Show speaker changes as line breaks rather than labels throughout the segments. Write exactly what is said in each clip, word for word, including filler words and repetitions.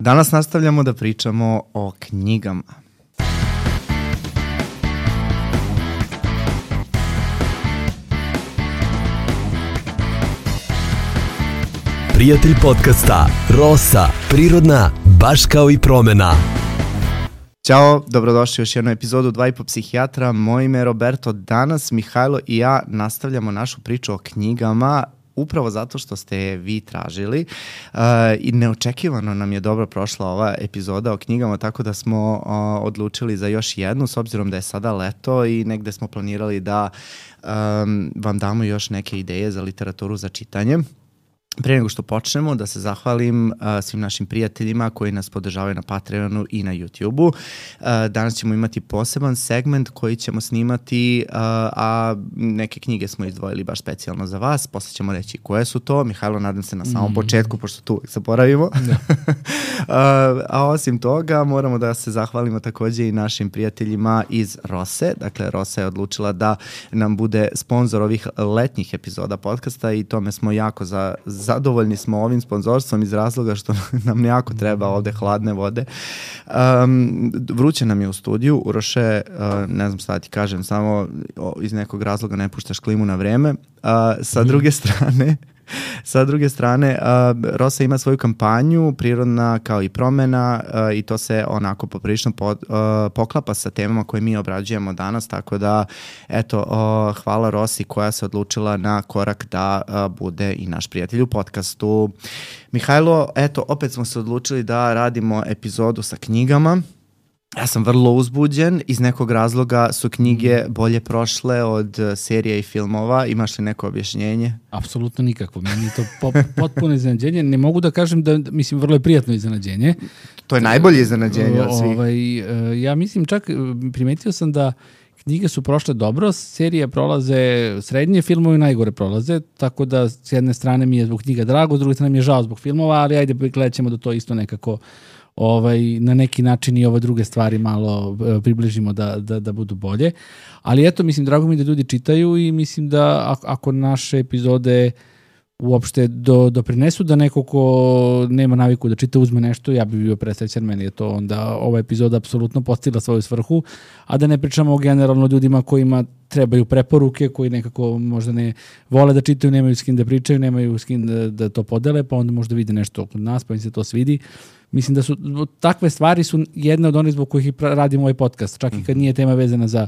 Danas nastavljamo da pričamo o knjigama.
Prijatelj podcasta Rosa, prirodna, baš kao i promena.
Ćao, dobrodošli u još jednu epizodu Dva i po psihijatra. Moje ime je Roberto. Danas Mihajlo i ja nastavljamo našu priču o knjigama, upravo zato što ste je vi tražili uh, i neočekivano nam je dobro prošla ova epizoda o knjigama, tako da smo uh, odlučili za još jednu, s obzirom da je sada leto i negde smo planirali da um, vam damo još neke ideje za literaturu za čitanje. Pre nego što počnemo, da se zahvalim uh, svim našim prijateljima koji nas podržavaju na Patreonu i na YouTubeu. Uh, danas ćemo imati poseban segment koji ćemo snimati, uh, a neke knjige smo izdvojili baš specijalno za vas. Posle ćemo reći koje su to. Mihajlo, nadam se na samom mm. početku, pošto tu uvijek zaboravimo. uh, a osim toga, moramo da se zahvalimo takođe i našim prijateljima iz Rose. Dakle, Rosa je odlučila da nam bude sponsor ovih letnjih epizoda podcasta i tome smo jako za zadovoljni smo ovim sponzorstvom iz razloga što nam jako treba ovde hladne vode. Um, vruće nam je u studiju. Uroše, uh, ne znam šta da ti kažem, samo o, iz nekog razloga ne puštaš klimu na vreme. Uh, sa druge strane, Sa druge strane, uh, Rosa ima svoju kampanju, prirodna kao i promena, uh, i to se onako poprilično pod, uh, poklapa sa temama koje mi obrađujemo danas, tako da, eto, uh, hvala Rosi koja se odlučila na korak da uh, bude i naš prijatelj u podcastu. Mihajlo, eto, opet smo se odlučili da radimo epizodu sa knjigama. Ja sam vrlo uzbuđen, iz nekog razloga su knjige bolje prošle od serija i filmova. Imaš li neko objašnjenje?
Apsolutno nikakvo. Meni je to po, potpuno iznenađenje. Ne mogu da kažem da, mislim, vrlo je prijatno iznenađenje.
To je najbolje iznenađenje od svih.
Ovaj, ja mislim, čak primetio sam da knjige su prošle dobro, serije prolaze srednje, filmovi najgore prolaze, tako da s jedne strane mi je zbog knjiga drago, s druge strane mi je žao zbog filmova, ali ajde gledat ćemo da to isto nekako ovaj, na neki način i ove druge stvari malo e, približimo da, da, da budu bolje. Ali eto, mislim, drago mi da ljudi čitaju i mislim da ako, ako naše epizode uopšte do, doprinesu da neko ko nema naviku da čita uzme nešto, ja bih bio presrećan, meni je to onda ova epizoda apsolutno postigla svoju svrhu, a da ne pričamo generalno ljudima kojima trebaju preporuke, koji nekako možda ne vole da čitaju, nemaju s kim da pričaju, nemaju s kim da, da to podele, pa onda možda vide nešto kod nas, pa im se to svidi. Mislim da su takve stvari su jedne od onih zbog kojih i radimo ovaj podcast, čak i kad nije tema vezana za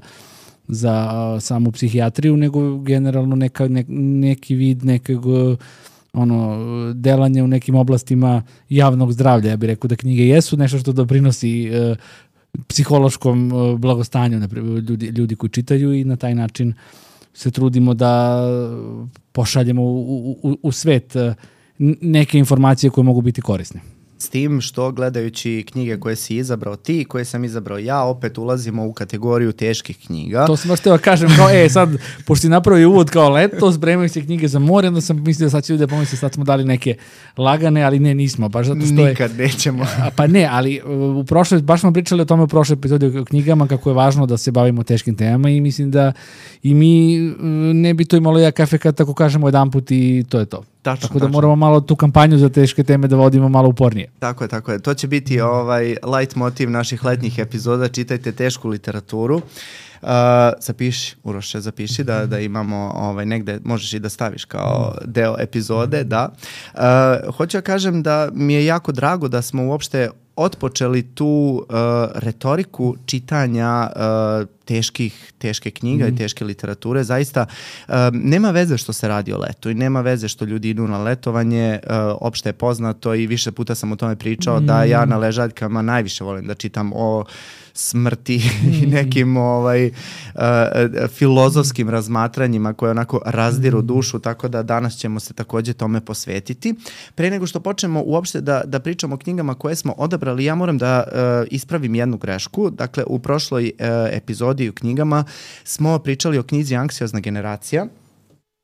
za samu psihijatriju, nego generalno neka, ne, neki vid nekog ono, delanja u nekim oblastima javnog zdravlja. Ja bih rekao da knjige jesu nešto što doprinosi e, psihološkom e, blagostanju naprijed, ljudi, ljudi koji čitaju i na taj način se trudimo da pošaljemo u, u, u svet e, neke informacije koje mogu biti korisne.
S tim što gledajući knjige koje si izabrao ti, koje sam izabrao ja, opet ulazimo u kategoriju teških knjiga.
To sam baš teo kažem, kao, e, sad, pošto si napravio uvod kao leto, spremaju se knjige za more, onda sam mislio da sad će ljudi da pomisli, sad smo dali neke lagane, ali ne, nismo, baš zato što
Nikad
je,
nećemo.
Pa ne, ali u prošloj, baš smo pričali o tome u prošloj epizodi o knjigama, kako je važno da se bavimo teškim temama i mislim da i mi ne bi to imalo jak efekat tako kažemo jedan put i to je to.
Tačno,
tako da
tačno.
moramo malo tu kampanju za teške teme da vodimo malo upornije.
Tako je, tako je. To će biti ovaj light motiv naših letnjih epizoda. Čitajte tešku literaturu. Uh, zapiši, Uroše, zapiši da, da imamo ovaj, negde, možeš i da staviš kao deo epizode, da. Uh, hoću ja kažem da mi je jako drago da smo uopšte otpočeli tu uh, retoriku čitanja uh, teških, teške knjiga mm. i teške literature. Zaista uh, nema veze što se radi o letu i nema veze što ljudi idu na letovanje. Uh, opšte je poznato i više puta sam o tome pričao mm. da ja na ležaljkama najviše volim da čitam o smrti mm. i nekim ovaj, uh, filozofskim razmatranjima koje onako razdiru dušu, tako da danas ćemo se takođe tome posvetiti. Pre nego što počnemo uopšte da, da pričamo o knjigama koje smo odabrali, ja moram da uh, ispravim jednu grešku. Dakle, u prošloj uh, epizodi u knjigama smo pričali o knjizi Anksiozna generacija,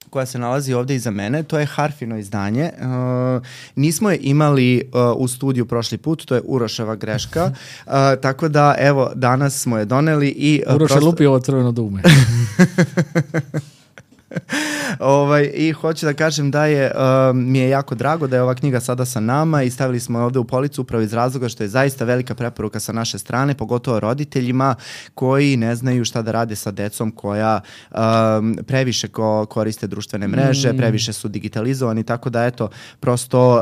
koja se nalazi ovde iza mene. To je Harfino izdanje. Uh, nismo je imali uh, u studiju prošli put, to je Uroševa greška. Uh, tako da, evo, danas smo je doneli i... Uh,
Uroš je
prosto...
lupi ovo crveno dume.
ovaj, I hoću da kažem da je, uh, mi je jako drago da je ova knjiga sada sa nama i stavili smo je ovde u policu upravo iz razloga što je zaista velika preporuka sa naše strane, pogotovo roditeljima koji ne znaju šta da rade sa decom koja um, previše ko, koriste društvene mreže, mm. previše su digitalizovani, tako da eto, prosto uh,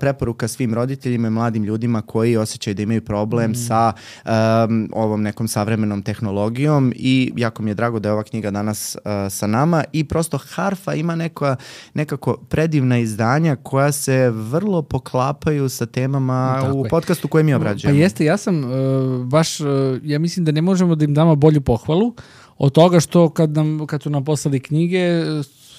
preporuka svim roditeljima i mladim ljudima koji osjećaju da imaju problem mm. sa um, ovom nekom savremenom tehnologijom i jako mi je drago da je ova knjiga danas uh, sa nama i prosto Harfa ima neka, nekako predivna izdanja koja se vrlo poklapaju sa temama tako u je. podcastu koje mi obrađujemo.
Pa jeste, ja sam uh, baš, uh, ja mislim da ne možemo da im damo bolju pohvalu od toga što kad, nam, kad su nam poslali knjige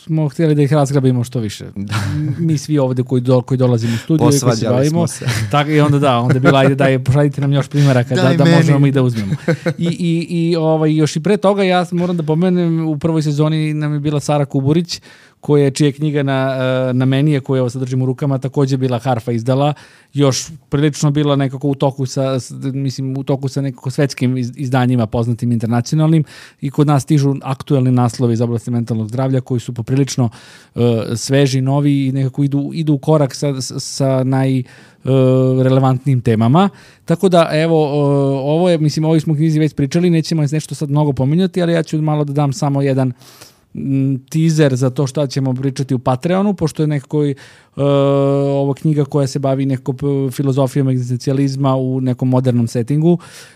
smo htjeli da ih razgrabimo što više. Da. Mi svi ovde koji, do, koji dolazimo u studiju i koji se bavimo. Se. Tak, I onda da, onda je bila, ajde daj, pošaljite nam još primjeraka da, da možemo i da uzmemo. I, i, i ovaj, još i pre toga ja moram da pomenem, u prvoj sezoni nam je bila Sara Kuburić, koja čija je knjiga na, na menije, koju evo sad držim u rukama, također bila Harfa izdala, još prilično bila nekako u toku sa, mislim, u toku sa nekako svetskim izdanjima poznatim internacionalnim i kod nas stižu aktuelni naslovi iz oblasti mentalnog zdravlja koji su poprilično uh, sveži, novi i nekako idu, idu u korak sa, sa naj relevantnim temama. Tako da, evo, ovo je, mislim, ovo smo knjizi već pričali, nećemo nešto sad mnogo pominjati, ali ja ću malo da dam samo jedan teaser za to šta ćemo pričati u Patreonu, pošto je nekako uh, ovo knjiga koja se bavi nekako filozofijom egzistencijalizma u nekom modernom settingu,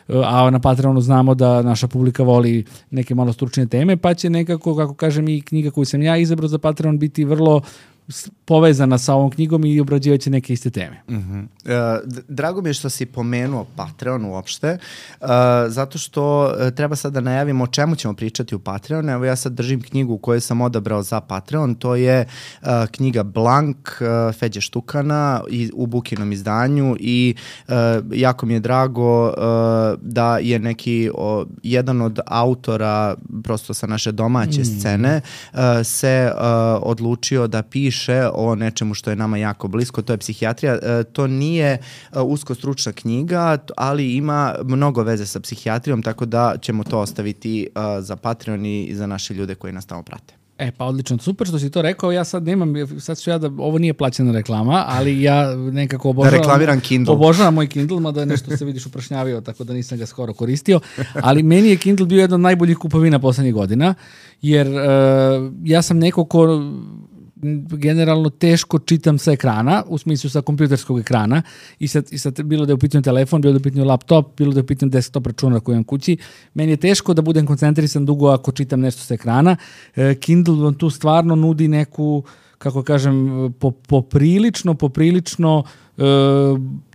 uh, a na Patreonu znamo da naša publika voli neke malo stručne teme, pa će nekako, kako kažem, i knjiga koju sam ja izabrao za Patreon biti vrlo povezana sa ovom knjigom i obrađivaće neke iste teme.
Uh-huh. Uh, drago mi je što si pomenuo Patreon uopšte, uh, zato što uh, treba sad da najavimo o čemu ćemo pričati u Patreon. Evo ja sad držim knjigu koju sam odabrao za Patreon, to je uh, knjiga Blank uh, Feđe Štukana i, u Bukinom izdanju i uh, jako mi je drago uh, da je neki o, jedan od autora prosto sa naše domaće mm. scene uh, se uh, odlučio da piše o nečemu što je nama jako blisko, to je psihijatrija. E, to nije e, usko stručna knjiga, ali ima mnogo veze sa psihijatrijom, tako da ćemo to ostaviti e, za Patreon i za naše ljude koji nas tamo prate.
E, pa odlično, super što si to rekao, ja sad nemam, sad ću ja da, ovo nije plaćena reklama, ali ja nekako obožavam...
Da reklamiram Kindle.
Obožavam moj Kindle, mada nešto se vidiš uprašnjavio, tako da nisam ga skoro koristio, ali meni je Kindle bio jedna od najboljih kupovina poslednjih godina, jer uh, ja sam neko ko generalno teško čitam sa ekrana, u smislu sa kompjuterskog ekrana i sad, i sad bilo da je u pitanju telefon, bilo da je u pitanju laptop, bilo da je u pitanju desktop računar koji imam kući. Meni je teško da budem koncentrisan dugo ako čitam nešto sa ekrana. E, Kindle vam tu stvarno nudi neku, kako kažem, po, poprilično, poprilično e,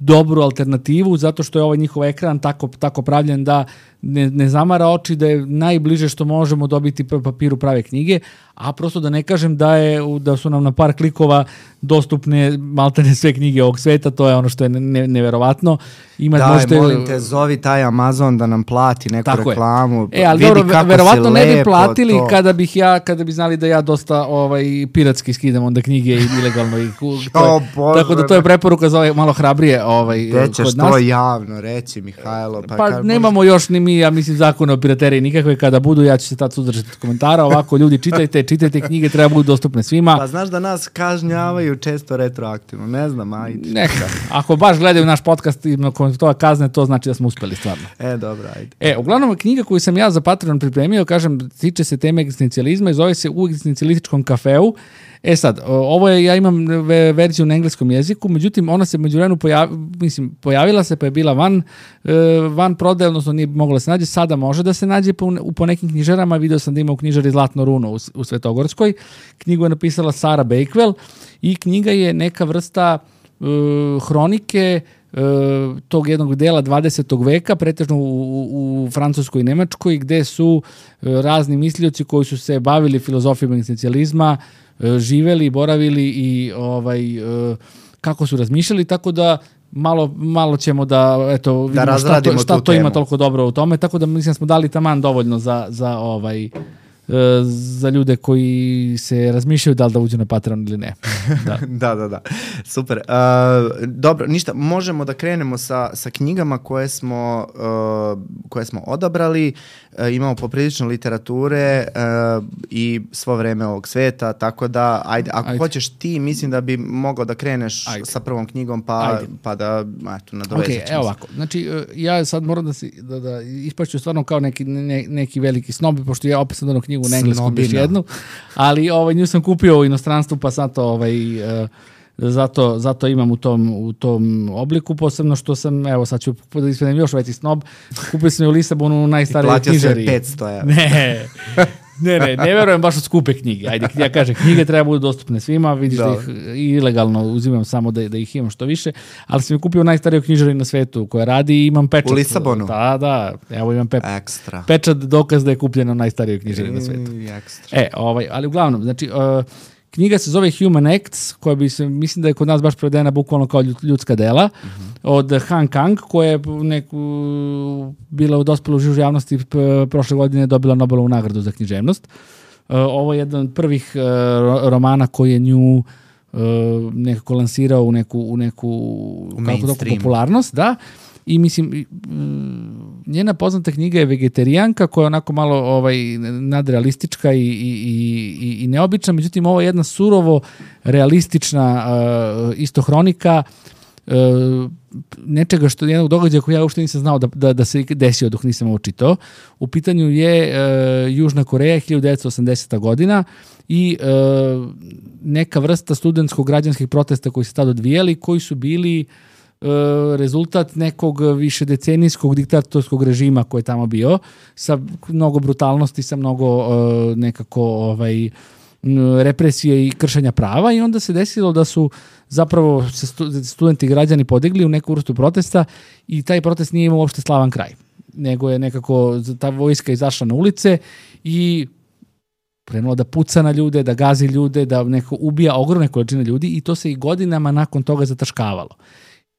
dobru alternativu, zato što je ovaj njihov ekran tako, tako pravljen da ne, ne zamara oči, da je najbliže što možemo dobiti po papiru prave knjige, a prosto da ne kažem da je da su nam na par klikova dostupne maltene sve knjige ovog sveta, to je ono što je ne, neverovatno. Ima,
Daj,
možete,
molim te, zovi taj Amazon da nam plati neku reklamu.
Je. E, ali
vidi
dobro, verovatno ne bi
lepo
platili
to.
kada bih ja, kada bi znali da ja dosta ovaj, piratski skidam onda knjige i ilegalno. I,
o, Bože,
tako da to je preporuka za ovaj malo hrabrije ovaj,
Gde ćeš
kod
to
nas.
javno reći, Mihajlo?
Pa, pa nemamo možeš... još ni mi, ja mislim, zakone o pirateriji nikakve, kada budu, ja ću se tad suzdržati od komentara, ovako ljudi čitajte, čitajte knjige, treba budu dostupne svima.
Pa znaš da nas kažnjavaju često retroaktivno, ne znam, ajde.
Neka, ako baš gledaju naš podcast i nakon toga kazne, to znači da smo uspeli stvarno.
E, dobro, ajde.
E, uglavnom, knjiga koju sam ja za Patreon pripremio, kažem, tiče se teme egzistencijalizma i zove se U egzistencijalističkom kafeu. E sad, ovo je, ja imam verziju na engleskom jeziku, međutim, ona se međuvremenu pojavila, mislim, pojavila se pa je bila van, van prodaje, odnosno nije mogla da se nađe, sada može da se nađe po, po nekim knjižarama, video sam da ima u knjižari Zlatno runo u, u Svetogorskoj, knjigu je napisala Sara Bakewell i knjiga je neka vrsta uh, hronike uh, tog jednog dela dvadesetog veka, pretežno u, u, u Francuskoj i Nemačkoj, gde su uh, razni mislioci koji su se bavili filozofijom egzistencijalizma, živeli, boravili i ovaj kako su razmišljali, tako da malo malo ćemo da eto
da
vidimo šta, to, šta to
temu.
Ima toliko dobro u tome, tako da mislim da smo dali taman dovoljno za za ovaj za ljude koji se razmišljaju da li da uđu na Patreon ili ne. Da,
da, da, da. Super. Uh, dobro, ništa, možemo da krenemo sa, sa knjigama koje smo, uh, koje smo odabrali. Uh, imamo poprilično literature uh, i svo vreme ovog sveta, tako da, ajde, ako ajde. hoćeš ti, mislim da bi mogao da kreneš ajde. sa prvom knjigom, pa, pa da, eto, nadovežeš.
Ok, evo ovako. Znači, ja sad moram da, si, da, da ispaću stvarno kao neki, ne, neki veliki snob, pošto ja opet sam donao knjigu na engleskom još jednu, ali ovaj, nju sam kupio u inostranstvu, pa sad to ovaj, uh, zato, zato imam u tom, u tom obliku, posebno što sam, evo sad ću da ispadnem još veći snob, kupio sam je u Lisabonu u najstarijoj knjižari.
I platio se petsto evra.
Ne, ne, ne, ne verujem baš u skupe knjige. Ajde, ja kažem, knjige treba budu dostupne svima, vidiš da, da ih ilegalno uzimam samo da, da ih imam što više, ali sam je kupio u najstarijoj knjižari na svetu koja radi i imam pečat.
U Lisabonu?
Da, da, evo imam pe...
Ekstra.
pečat, dokaz da je kupljeno u najstarijoj knjižari na svetu.
Ekstra.
E, ovaj, ali uglavnom, znači, uh, knjiga se zove Human Acts, koja bi se, mislim da je kod nas baš prevedena bukvalno kao ljudska dela, mm-hmm. od Han Kang, koja je neku, bila u dospelu žižu javnosti prošle godine dobila Nobelovu nagradu za književnost. Uh, ovo je jedan od prvih uh, romana koji je nju uh, nekako lansirao u neku, u neku u kako to, popularnost, da. I mislim, njena poznata knjiga je Vegetarijanka, koja je onako malo ovaj, nadrealistička i, i, i, i neobična, međutim ovo je jedna surovo realistična uh, isto hronika uh, nečega što jednog događaja koji ja uopšte nisam znao da, da, da se desio dok nisam ovo čitao. U pitanju je uh, Južna Koreja, hiljadu devetsto osamdeseta godina i uh, neka vrsta studentskog građanskih protesta koji se tada odvijali, koji su bili rezultat nekog višedecenijskog diktatorskog režima koji je tamo bio, sa mnogo brutalnosti, sa mnogo uh, nekako ovaj, represije i kršenja prava, i onda se desilo da su zapravo se studenti i građani podigli u neku vrstu protesta i taj protest nije imao uopšte slavan kraj, nego je nekako ta vojska izašla na ulice i krenulo da puca na ljude, da gazi ljude, da neko ubija ogromne količine ljudi, i to se i godinama nakon toga zataškavalo.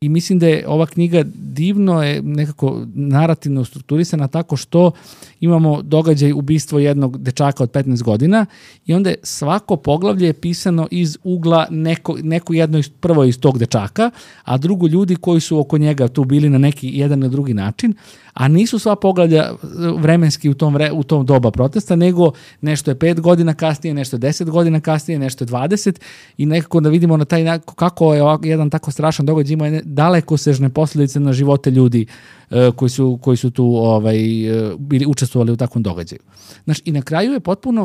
I mislim da je ova knjiga divno je nekako narativno strukturisana tako što imamo događaj ubistvo jednog dečaka od petnaest godina i onda je svako poglavlje je pisano iz ugla neko, neko jedno iz, prvo iz tog dečaka, a drugo ljudi koji su oko njega tu bili na neki jedan na drugi način, a nisu sva poglavlja vremenski u tom, vre, u tom doba protesta, nego nešto je pet godina kasnije, nešto je deset godina kasnije, nešto je dvadeset, i nekako da vidimo na taj, kako je jedan tako strašan događaj ima dalekosežne posljedice na živote ljudi uh, koji, su, koji su tu ovaj, uh, bili učestvovali u takvom događaju. Znaš, i na kraju je potpuno,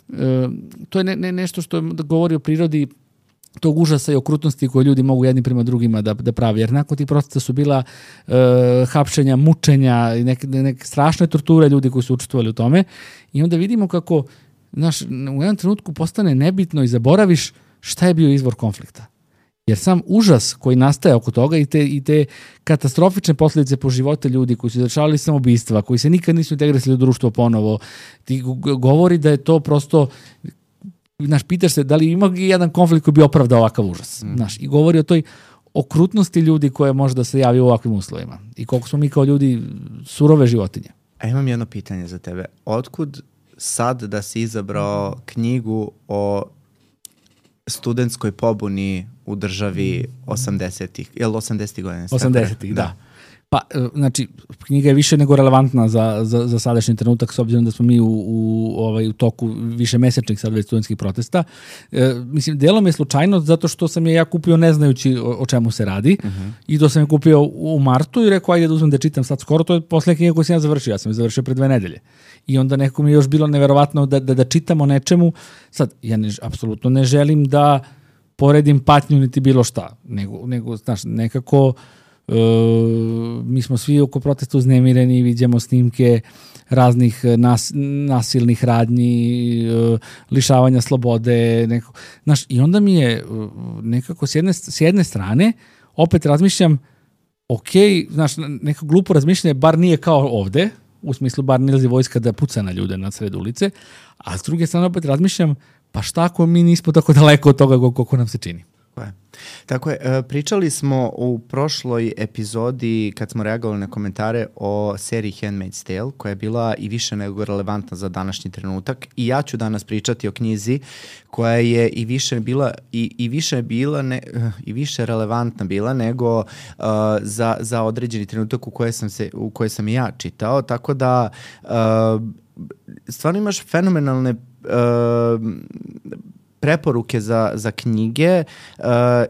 uh, to je ne, ne, nešto što govori o prirodi tog užasa i okrutnosti koje ljudi mogu jedni prema drugima da, da pravi. Jer nakon tih protesta su bila uh, hapšenja, mučenja i neke, neke strašne torture ljudi koji su učestvovali u tome. I onda vidimo kako, znaš, u jednom trenutku postane nebitno i zaboraviš šta je bio izvor konflikta. Jer sam užas koji nastaje oko toga i te, i te katastrofične posljedice po živote ljudi koji su izvršavali samoubistva, koji se nikad nisu integrisali u društvo ponovo, ti govori da je to prosto, znaš, pitaš se da li ima jedan konflikt koji bi opravdao ovakav užas. Mm. Znaš, i govori o toj okrutnosti ljudi koje može da se javi u ovakvim uslovima i koliko smo mi kao ljudi surove životinje.
A imam jedno pitanje za tebe. Otkud sad da si izabrao knjigu o studentskoj pobuni u državi osamdesetih, je li osamdesetih godina?
osamdesetih, da. da. Pa, znači, knjiga je više nego relevantna za, za, za sadašnji trenutak, s obzirom da smo mi u, u, ovaj, u toku više mesečnih sad već studentskih protesta. E, mislim, delom je slučajno zato što sam je ja kupio ne znajući o, o čemu se radi, uh-huh. i to sam je kupio u martu i rekao, ajde da uzmem da čitam sad skoro, to je poslednja knjiga koju sam ja završio, ja sam je završio pre dve nedelje. I onda nekako mi je još bilo neverovatno da, da, da čitamo nečemu. Sad, ja ne, apsolutno ne želim da poredim patnju niti bilo šta, nego, nego znaš, nekako Uh, mi smo svi oko protesta uznemireni, vidimo snimke raznih nas, nasilnih radnji, uh, lišavanja slobode, neko, znaš, i onda mi je uh, nekako s jedne, s jedne strane opet razmišljam, ok, znaš, neko glupo razmišljanje, bar nije kao ovde, u smislu bar ne lazi vojska da puca na ljude na sred ulice, a s druge strane opet razmišljam, pa šta ako mi nismo tako daleko od toga koliko nam se čini.
je. Tako je, pričali smo u prošloj epizodi kad smo reagovali na komentare o seriji Handmaid's Tale koja je bila i više nego relevantna za današnji trenutak i ja ću danas pričati o knjizi koja je i više bila i, i više bila ne, i više relevantna bila nego uh, za, za određeni trenutak u koje sam se u koje sam ja čitao, tako da uh, stvarno imaš fenomenalne uh, preporuke za, za knjige uh,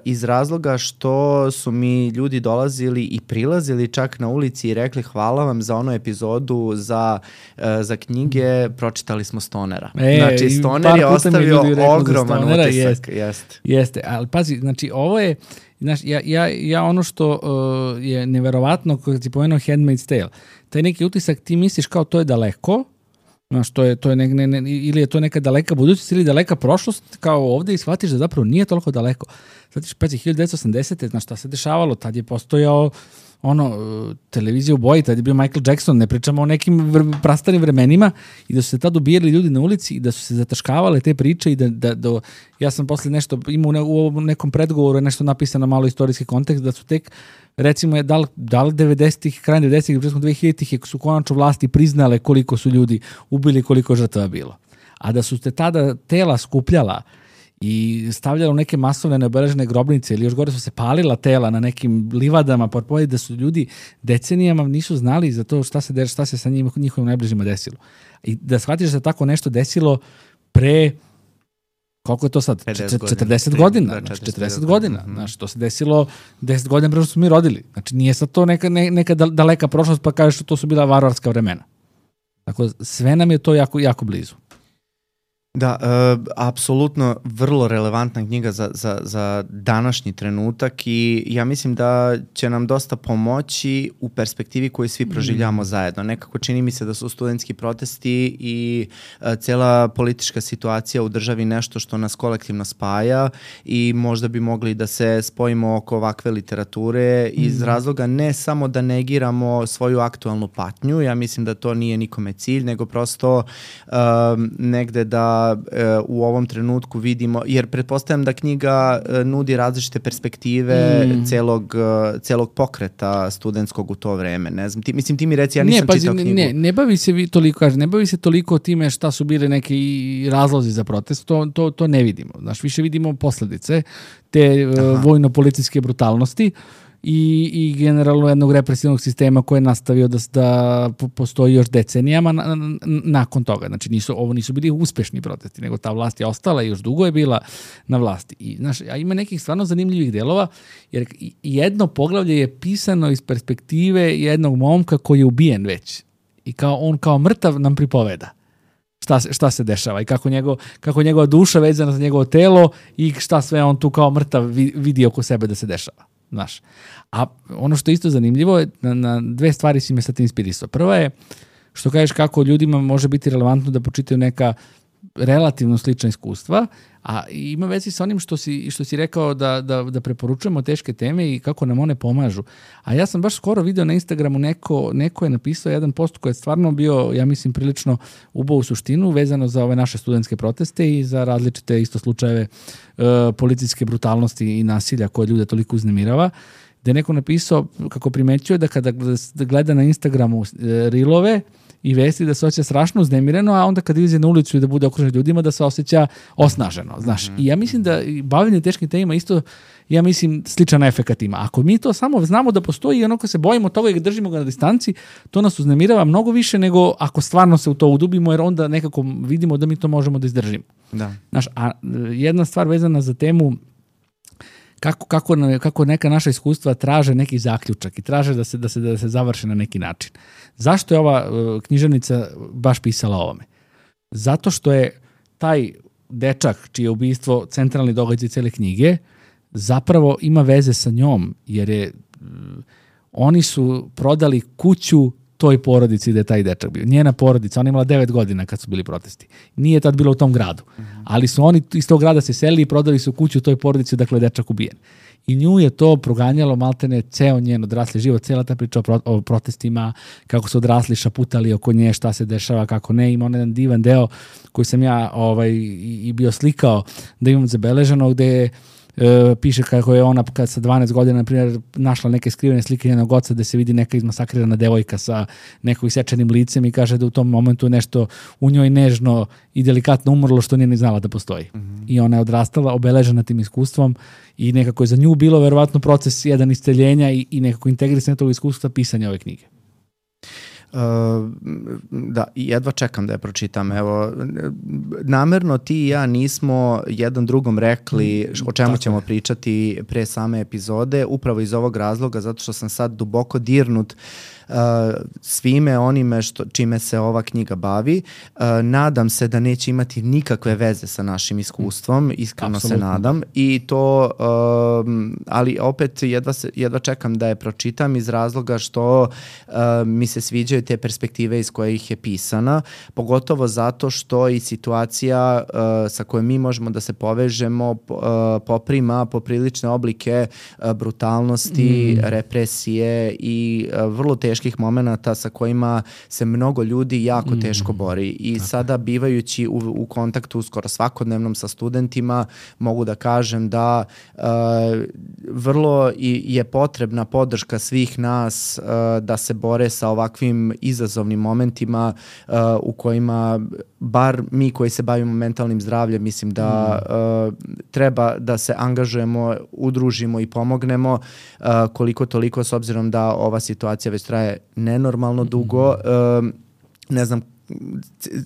iz razloga što su mi ljudi dolazili i prilazili čak na ulici i rekli hvala vam za onu epizodu za, uh, za knjige, pročitali smo Stonera.
E,
znači, Stoner je ostavio ogroman utisak.
Jeste, jest. jeste, ali pazi, znači ovo je, znaš, ja, ja, ja ono što uh, je neverovatno kad si pomenuo Handmaid's Tale, taj neki utisak ti misliš kao to je daleko, znaš, to je, to je ne, ne, ne, ili je to neka daleka budućnost ili daleka prošlost kao ovde i shvatiš da zapravo nije toliko daleko. Shvatiš, pazi, hiljadu devetsto osamdesete znaš šta se dešavalo, tad je postojao ono, televizija u boji, tad je bio Michael Jackson, ne pričamo o nekim vr, prastarim vremenima i da su se tad ubijali ljudi na ulici i da su se zataškavale te priče i da, da, da ja sam posle nešto, imao ne, u nekom predgovoru je nešto napisano malo istorijski kontekst, da su tek recimo je da li, da li devedesetih, krajem devedesetih, početkom dvehiljaditih su konačno vlasti priznale koliko su ljudi ubili, koliko žrtava bilo. A da su se tada tela skupljala i stavljala u neke masovne neobeležene grobnice ili još gore su se palila tela na nekim livadama, porpoje da su ljudi decenijama nisu znali za to šta se, šta se sa njim, njihovim najbližima desilo. I da shvatiš da se tako nešto desilo pre koliko je to sad? četrdeset godina. Znači, četrdeset godina. Znači, to se desilo deset godina pre što smo mi rodili. Znači, nije sad to neka, ne, neka daleka prošlost pa kažeš što to su bila varvarska vremena. Tako, sve nam je to jako, jako blizu.
Da, uh, apsolutno vrlo relevantna knjiga za, za, za današnji trenutak i ja mislim da će nam dosta pomoći u perspektivi koju svi proživljamo mm. zajedno. Nekako čini mi se da su studentski protesti i uh, cela politička situacija u državi nešto što nas kolektivno spaja i možda bi mogli da se spojimo oko ovakve literature mm. iz razloga ne samo da negiramo svoju aktualnu patnju, ja mislim da to nije nikome cilj, nego prosto uh, negde da u ovom trenutku vidimo, jer pretpostavljam da knjiga nudi različite perspektive mm. celog, celog pokreta studentskog u to vreme. Ne znam, ti, mislim, ti mi reci, ja nisam ne, pazi, čitao knjigu.
Ne, ne bavi se vi toliko, kaže, ne bavi se toliko time šta su bile neki razlozi za protest, to, to, to ne vidimo. Znaš, više vidimo posledice te uh, vojno-policijske brutalnosti i, i generalno jednog represivnog sistema koji je nastavio da, da postoji još decenijama na, na, nakon toga. Znači, nisu, ovo nisu bili uspešni protesti, nego ta vlast je ostala i još dugo je bila na vlasti. I, znaš, a ima nekih stvarno zanimljivih delova, jer jedno poglavlje je pisano iz perspektive jednog momka koji je ubijen već. I kao on kao mrtav nam pripoveda šta se, šta se dešava i kako, njegov, kako njegova duša vezana za njegovo telo i šta sve on tu kao mrtav vidi oko sebe da se dešava. Znaš. A ono što je isto zanimljivo je, na, na dve stvari si me sad inspirisao. Prva je, što kažeš kako ljudima može biti relevantno da počitaju neka relativno slična iskustva, a ima vezi sa onim što si, što si rekao da, da, da preporučujemo teške teme i kako nam one pomažu. A ja sam baš skoro video na Instagramu neko, neko je napisao jedan post koji je stvarno bio, ja mislim, prilično ubao u suštinu vezano za ove naše studentske proteste i za različite isto slučajeve uh, policijske brutalnosti i nasilja koje ljude toliko uznemirava, gde je neko napisao kako primećuje da kada gleda na Instagramu uh, rilove i vesti da se osjeća strašno uznemireno, a onda kad izađe na ulicu i da bude okružen ljudima da se osjeća osnaženo, znaš. Mm-hmm. I ja mislim da bavljenje teškim temama isto, ja mislim, sličan efekat ima. Ako mi to samo znamo da postoji i onako se bojimo toga i držimo ga na distanci, to nas uznemirava mnogo više nego ako stvarno se u to udubimo, jer onda nekako vidimo da mi to možemo da izdržimo.
Da.
Znaš, a jedna stvar vezana za temu Kako, kako, kako neka naša iskustva traže neki zaključak i traže da se, da se, da se završe na neki način. Zašto je ova uh, književnica baš pisala o ovome? Zato što je taj dečak, čije ubistvo centralni događaj cele knjige, zapravo ima veze sa njom, jer je, uh, oni su prodali kuću toj porodici da je taj dečak bio. Njena porodica, ona imala devet godina kad su bili protesti. Nije tad bilo u tom gradu. Mm-hmm. Ali su oni iz tog grada se selili i prodali su kuću toj porodici dakle dečak ubijen. I nju je to proganjalo maltene ceo njen odrasli život, cela ta priča o, pro, o protestima, kako su odrasli šaputali oko nje, šta se dešava, kako ne. Ima onaj jedan divan deo koji sam ja ovaj, i, i bio slikao da imam zabeleženo, gde e, piše kako je ona kad sa dvanaest godina, na primjer, našla neke skrivene slike njenog oca gde se vidi neka izmasakrirana devojka sa nekog isečenim licem i kaže da u tom momentu nešto u njoj nežno i delikatno umrlo što nije ni znala da postoji. Mm-hmm. I ona je odrastala obeležena tim iskustvom i nekako je za nju bilo verovatno proces jedan isceljenja i, i nekako integrisanje tog iskustva pisanja ove knjige.
Uh, da, jedva čekam da je pročitam. Evo, namerno ti i ja nismo jedan drugom rekli o čemu Tako ćemo je. pričati pre same epizode, upravo iz ovog razloga, zato što sam sad duboko dirnut Uh, svime onime što, čime se ova knjiga bavi. Uh, nadam se da neće imati nikakve veze sa našim iskustvom, iskreno Absolutno. se nadam i to, uh, ali opet jedva, se, jedva čekam da je pročitam iz razloga što uh, mi se sviđaju te perspektive iz kojih je pisana, pogotovo zato što i situacija uh, sa kojom mi možemo da se povežemo uh, poprima poprilične oblike uh, brutalnosti, mm. represije i uh, vrlo teško teških momenata sa kojima se mnogo ljudi jako mm. teško bori i Tako. sada bivajući u, u kontaktu skoro svakodnevnom sa studentima mogu da kažem da uh, vrlo i, je potrebna podrška svih nas uh, da se bore sa ovakvim izazovnim momentima uh, u kojima bar mi koji se bavimo mentalnim zdravljem mislim da mm. uh, treba da se angažujemo, udružimo i pomognemo uh, koliko toliko s obzirom da ova situacija već traje nenormalno dugo. Mm. Ne znam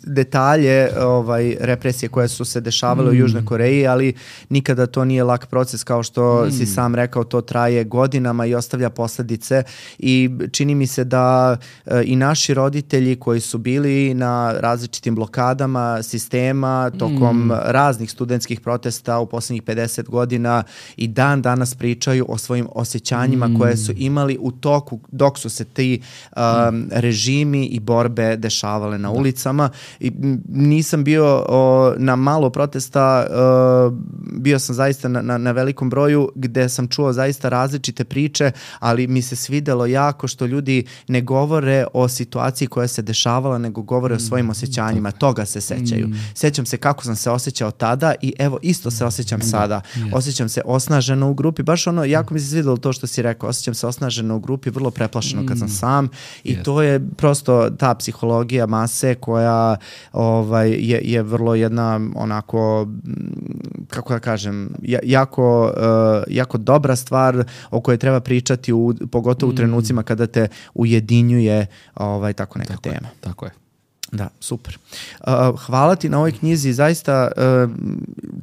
detalje ovaj, represije koje su se dešavale mm. u Južnoj Koreji, ali nikada to nije lak proces, kao što mm. si sam rekao, to traje godinama i ostavlja posledice i čini mi se da e, i naši roditelji koji su bili na različitim blokadama sistema tokom mm. raznih studentskih protesta u poslednjih pedeset godina i dan danas pričaju o svojim osjećanjima mm. koje su imali u toku dok su se ti um, mm. režimi i borbe dešavale na ulicama i nisam bio o, na malo protesta, o, bio sam zaista na, na, na velikom broju gde sam čuo zaista različite priče, ali mi se svidelo jako što ljudi ne govore o situaciji koja se dešavala, nego govore o svojim osjećanjima, toga se sećaju. Sećam se kako sam se osjećao tada i evo isto se osjećam sada. Osjećam se osnaženo u grupi, baš ono, jako mi se svidelo to što si rekao, osjećam se osnaženo u grupi, vrlo preplašeno kad sam sam i to je prosto ta psihologija mase koja ovaj, je, je vrlo jedna onako, kako da kažem, jako, uh, jako dobra stvar o kojoj treba pričati, u, pogotovo u trenucima kada te ujedinjuje ovaj, tako neka
tako
tema.
Je, tako je.
Da, super. Uh, hvala ti na ovoj knjizi, zaista uh,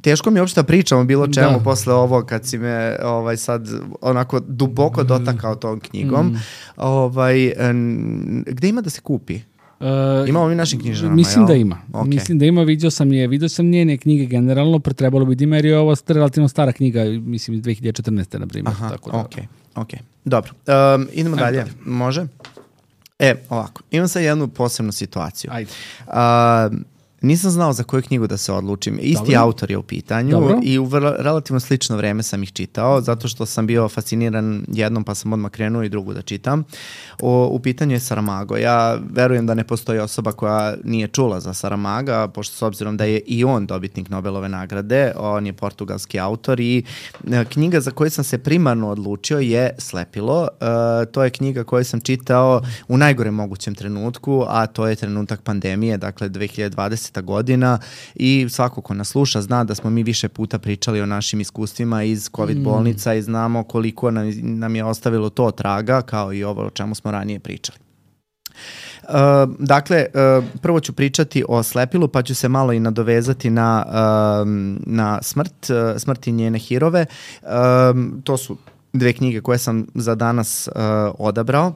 teško mi je uopšte da pričamo bilo čemu da. posle ovo kad si me ovaj, sad onako duboko dotakao tom knjigom. Mm. Ovaj, um, gde ima da se kupi?
Uh,
Imamo mi našim knjižarama,
Mislim
jel?
da ima.
Okay.
Mislim da ima, vidio sam je, vidio sam njene knjige generalno, pretrebalo bi da ima jer je ovo relativno stara knjiga, mislim iz dve hiljade četrnaeste na primjer.
Aha,
tako da.
okej, okay, okej. Okay. Dobro, um, idemo Ajde, dalje. dalje. Može? E, ovako, imam sad jednu posebnu situaciju.
Ajde.
Uh, Nisam znao za koju knjigu da se odlučim. Isti Dobro. autor je u pitanju Dobro. i u vrlo, relativno slično vreme sam ih čitao, zato što sam bio fasciniran jednom pa sam odmah krenuo i drugu da čitam. O, u pitanju je Saramago. Ja verujem da ne postoji osoba koja nije čula za Saramaga, pošto s obzirom da je i on dobitnik Nobelove nagrade, on je portugalski autor i knjiga za koju sam se primarno odlučio je Slepilo. E, to je knjiga koju sam čitao u najgorem mogućem trenutku, a to je trenutak pandemije, dakle dve hiljade dvadesete godina i svako ko nas sluša zna da smo mi više puta pričali o našim iskustvima iz COVID mm. bolnica i znamo koliko nam, nam je ostavilo to traga, kao i ovo o čemu smo ranije pričali. Uh, dakle, uh, prvo ću pričati o Slepilu, pa ću se malo i nadovezati na, uh, na smrt, uh, smrt i njene hirove. Uh, to su dve knjige koje sam za danas uh, odabrao.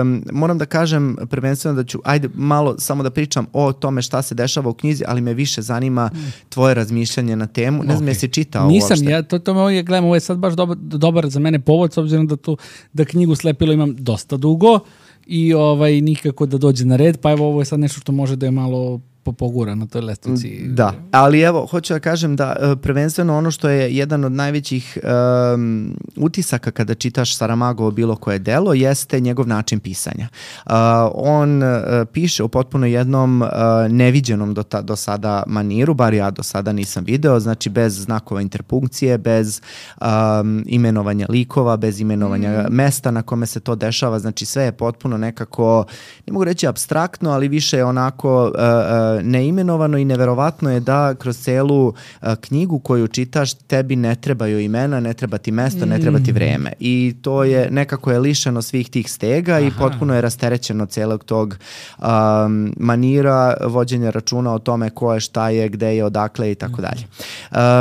Um, moram da kažem prvenstveno da ću, ajde malo samo da pričam o tome šta se dešava u knjizi, ali me više zanima tvoje razmišljanje na temu. Ne znam, okay. jesi čitao
Nisam,
uopšte?
ja to, to me ovdje gledam, ovo je sad baš dobar, dobar za mene povod, s obzirom da, tu, da knjigu Slepilo imam dosta dugo i ovaj, nikako da dođe na red, pa evo ovo je sad nešto što može da je malo pogura na toj lestvici.
Da, ali evo, hoću da kažem da prvenstveno ono što je jedan od najvećih um, utisaka kada čitaš Saramagovo bilo koje delo jeste njegov način pisanja. Uh, on uh, piše u potpuno jednom uh, neviđenom do, ta, do sada maniru, bar ja do sada nisam video, znači bez znakova interpunkcije, bez um, imenovanja likova, bez imenovanja mm. mesta na kome se to dešava, znači sve je potpuno nekako, ne mogu reći apstraktno, ali više je onako uh, neimenovano i neverovatno je da kroz celu uh, knjigu koju čitaš tebi ne trebaju imena, ne treba ti mesto, ne treba ti vreme i to je nekako je lišeno svih tih stega. Aha. I potpuno je rasterećeno celog tog um, manira vođenja računa o tome ko je, šta je, gde je, odakle i tako dalje.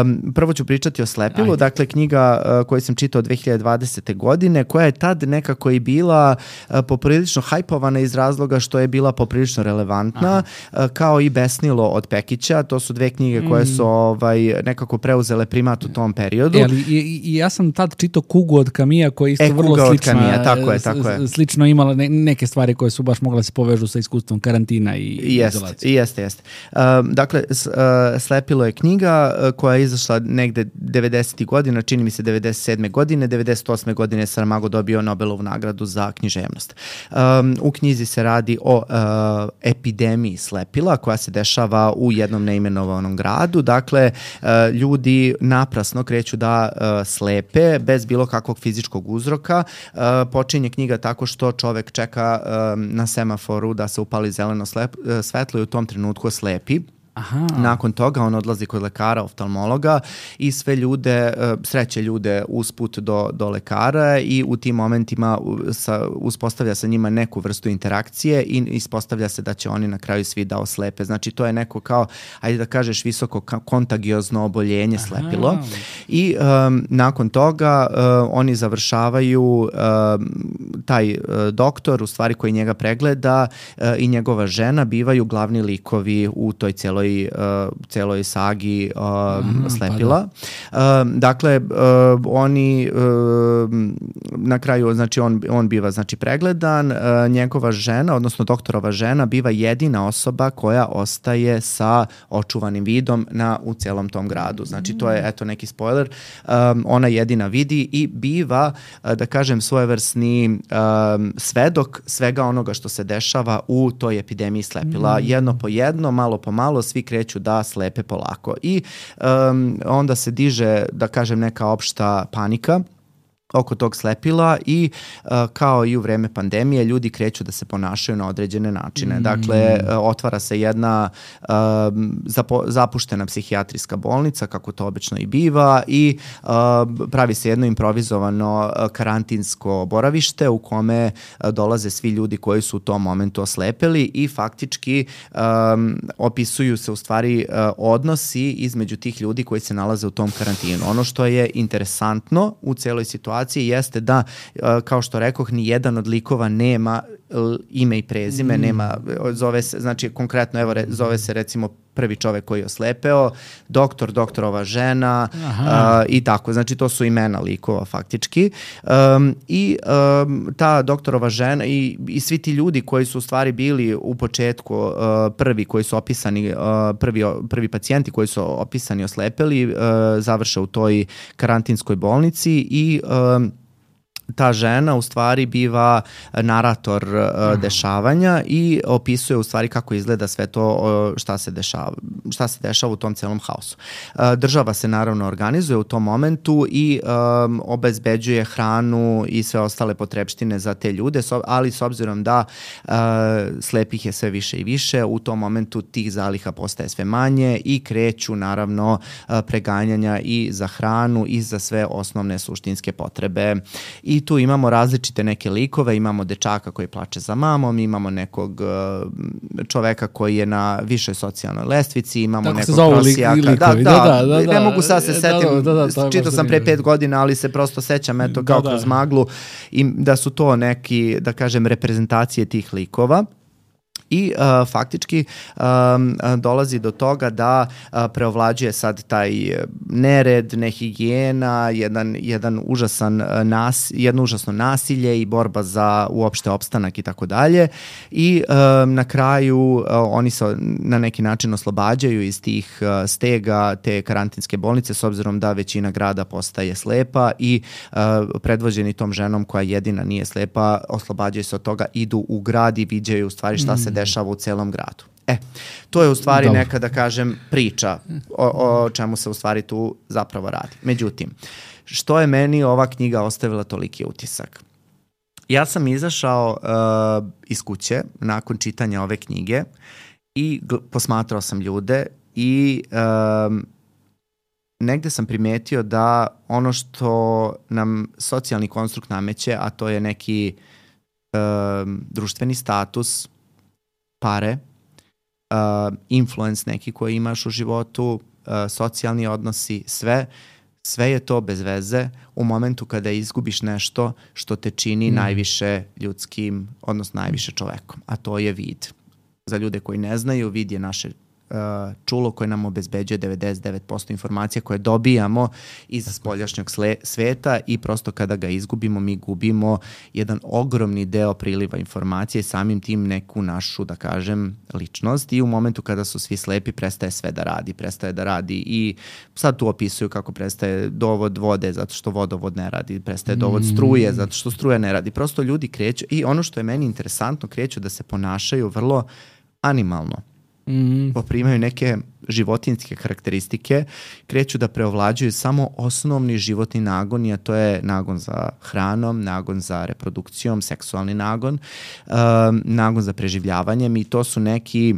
Um, prvo ću pričati o Slepilu, Ajde. dakle knjiga uh, koju sam čitao dve hiljade dvadesete. godine, koja je tad nekako i bila uh, poprilično hajpovana iz razloga što je bila poprilično relevantna, uh, kao i Besnilo od Pekića. To su dve knjige koje su ovaj, nekako preuzele primat u tom periodu.
E, ali i, i ja sam tad čitao Kugu od Kamija koja je isto
e,
vrlo
Kuga
slična.
Od Kamija, tako je, tako je.
Slično imala ne, neke stvari koje su baš mogle se povežu sa iskustvom karantina i
jest,
izolacije.
Jeste, jeste. Um, dakle, s, uh, Slepilo je knjiga uh, koja je izašla negde devedesetih godina, čini mi se devedeset sedme. godine, devedeset osme. godine Saramago dobio Nobelovu nagradu za književnost. Um, u knjizi se radi o uh, epidemiji slepila koja se dešava u jednom neimenovanom gradu. Dakle, uh, ljudi naprasno kreću da uh, slepe bez bilo kakvog fizičkog uzroka. Uh, počinje knjiga tako što čovek čeka um, na semaforu da se upali zeleno slep, uh, svetlo i u tom trenutku slepi.
Aha.
Nakon toga on odlazi kod lekara, oftalmologa i sve ljude, sreće ljude usput do, do lekara i u tim momentima sa, uspostavlja sa njima neku vrstu interakcije i ispostavlja se da će oni na kraju svi da oslepe. Znači to je neko kao, ajde da kažeš, visoko kontagiozno oboljenje slepilo. Aha. I um, nakon toga uh, oni završavaju um, taj uh, doktor, u stvari koji njega pregleda uh, i njegova žena bivaju glavni likovi u toj cijeloj Uh, celoj sagi uh, Aha, Slepila. Pa da. Uh, dakle, uh, oni uh, na kraju, znači on, on biva znači pregledan, uh, njegova žena, odnosno doktorova žena biva jedina osoba koja ostaje sa očuvanim vidom na, u celom tom gradu. Znači to je, eto, neki spoiler. Um, ona jedina vidi i biva, uh, da kažem, svojevrsni um, svedok svega onoga što se dešava u toj epidemiji Slepila. Mm. Jedno po jedno, malo po malo, svi kreću da slepe polako. I um, onda se diže, da kažem, neka opšta panika oko tog slepila i uh, kao i u vreme pandemije ljudi kreću da se ponašaju na određene načine. Mm. Dakle, uh, otvara se jedna uh, zapo, zapuštena psihijatrijska bolnica, kako to obično i biva, i uh, pravi se jedno improvizovano uh, karantinsko boravište u kome uh, dolaze svi ljudi koji su u tom momentu oslepeli i faktički um, opisuju se u stvari uh, odnosi između tih ljudi koji se nalaze u tom karantinu. Ono što je interesantno u celoj situaciji jeste da, kao što rekoh, ni jedan od likova nema ime i prezime, mm. nema, zove se, znači konkretno, evo, re, zove se recimo prvi čovek koji je oslepeo, doktor, doktorova žena uh, i tako, znači to su imena likova faktički. Um, I um, ta doktorova žena i, i svi ti ljudi koji su u stvari bili u početku uh, prvi koji su opisani, uh, prvi, prvi pacijenti koji su opisani oslepeli, uh, završe u toj karantinskoj bolnici i um, ta žena u stvari biva narator uh, dešavanja i opisuje u stvari kako izgleda sve to, uh, šta se dešava, šta se dešava u tom celom haosu. Uh, država se naravno organizuje u tom momentu i um, obezbeđuje hranu i sve ostale potrepštine za te ljude, so, ali s obzirom da uh, slepih je sve više i više, u tom momentu tih zaliha postaje sve manje i kreću naravno uh, preganjanja i za hranu i za sve osnovne suštinske potrebe. I tu imamo različite neke likove, imamo dečaka koji plače za mamom, imamo nekog uh, čoveka koji je na višoj socijalnoj lestvici, imamo
tako
nekog prosijaka.
Li,
da, da,
da, da, da,
ne mogu sad se setim,
da, da, da,
čitao sam pre pet godina, ali se prosto sećam eto kao da, kroz maglu i da su to neki, da kažem, reprezentacije tih likova. I uh, faktički um, dolazi do toga da uh, preovlađuje sad taj nered, nehigijena, jedan, jedan užasan nas, jedno užasno nasilje i borba za uopšte opstanak i tako dalje. I um, na kraju uh, oni se na neki način oslobađaju iz tih uh, stega te karantinske bolnice s obzirom da većina grada postaje slepa i uh, predvođeni tom ženom koja jedina nije slepa, oslobađaju se od toga, idu u grad i viđaju u stvari šta se dešava u celom gradu. E, to je u stvari Dobro. neka, da kažem, priča o, o čemu se u stvari tu zapravo radi. Međutim, što je meni ova knjiga ostavila toliki utisak? Ja sam izašao uh, iz kuće nakon čitanja ove knjige i gl- posmatrao sam ljude i um, negde sam primetio da ono što nam socijalni konstrukt nameće, a to je neki um, društveni status, pare, uh, influence neki koji imaš u životu, uh, socijalni odnosi, sve, sve je to bez veze u momentu kada izgubiš nešto što te čini mm. najviše ljudskim, odnosno najviše čovekom, a to je vid. Za ljude koji ne znaju, vid je naše uh, čulo koje nam obezbeđuje devedeset devet posto informacija koje dobijamo iz spoljašnjeg sveta i prosto kada ga izgubimo, mi gubimo jedan ogromni deo priliva informacije i samim tim neku našu, da kažem, ličnost i u momentu kada su svi slepi prestaje sve da radi, prestaje da radi i sad tu opisuju kako prestaje dovod vode zato što vodovod ne radi, prestaje dovod struje zato što struja ne radi. Prosto ljudi kreću i ono što je meni interesantno, kreću da se ponašaju vrlo animalno. Mm. Poprimaju neke životinjske karakteristike, kreću da preovlađuju samo osnovni životni nagon, a to je nagon za hranom, nagon za reprodukcijom, seksualni nagon, um, nagon za preživljavanjem i to su neki,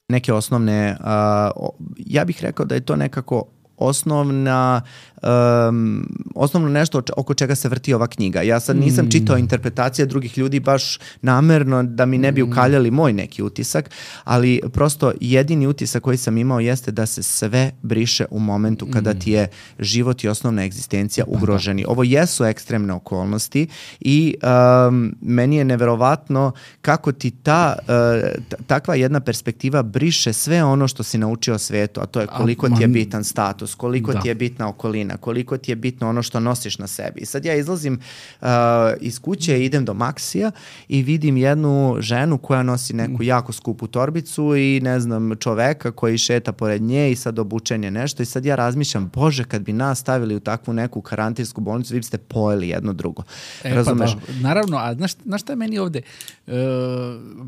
neke osnovne, uh, ja bih rekao da je to nekako osnovna um, osnovno nešto oko čega se vrti ova knjiga. Ja sad nisam mm. čitao interpretacije drugih ljudi baš namerno da mi ne bi ukaljali moj neki utisak, ali prosto jedini utisak koji sam imao jeste da se sve briše u momentu kada ti je život i osnovna egzistencija ugroženi. Ovo jesu ekstremne okolnosti i um, meni je neverovatno kako ti ta uh, takva jedna perspektiva briše sve ono što si naučio o svetu, a to je koliko ti je bitan status, koliko da. ti je bitna okolina, koliko ti je bitno ono što nosiš na sebi. I sad ja izlazim uh, iz kuće, idem do Maksija i vidim jednu ženu koja nosi neku jako skupu torbicu i ne znam, čoveka koji šeta pored nje i sad obučen je nešto i sad ja razmišljam, bože, kad bi nas stavili u takvu neku karantinsku bolnicu, vi biste pojeli jedno drugo.
E,
Razumeš?
Pa da, naravno, a znaš, znaš šta je meni ovde? Uh,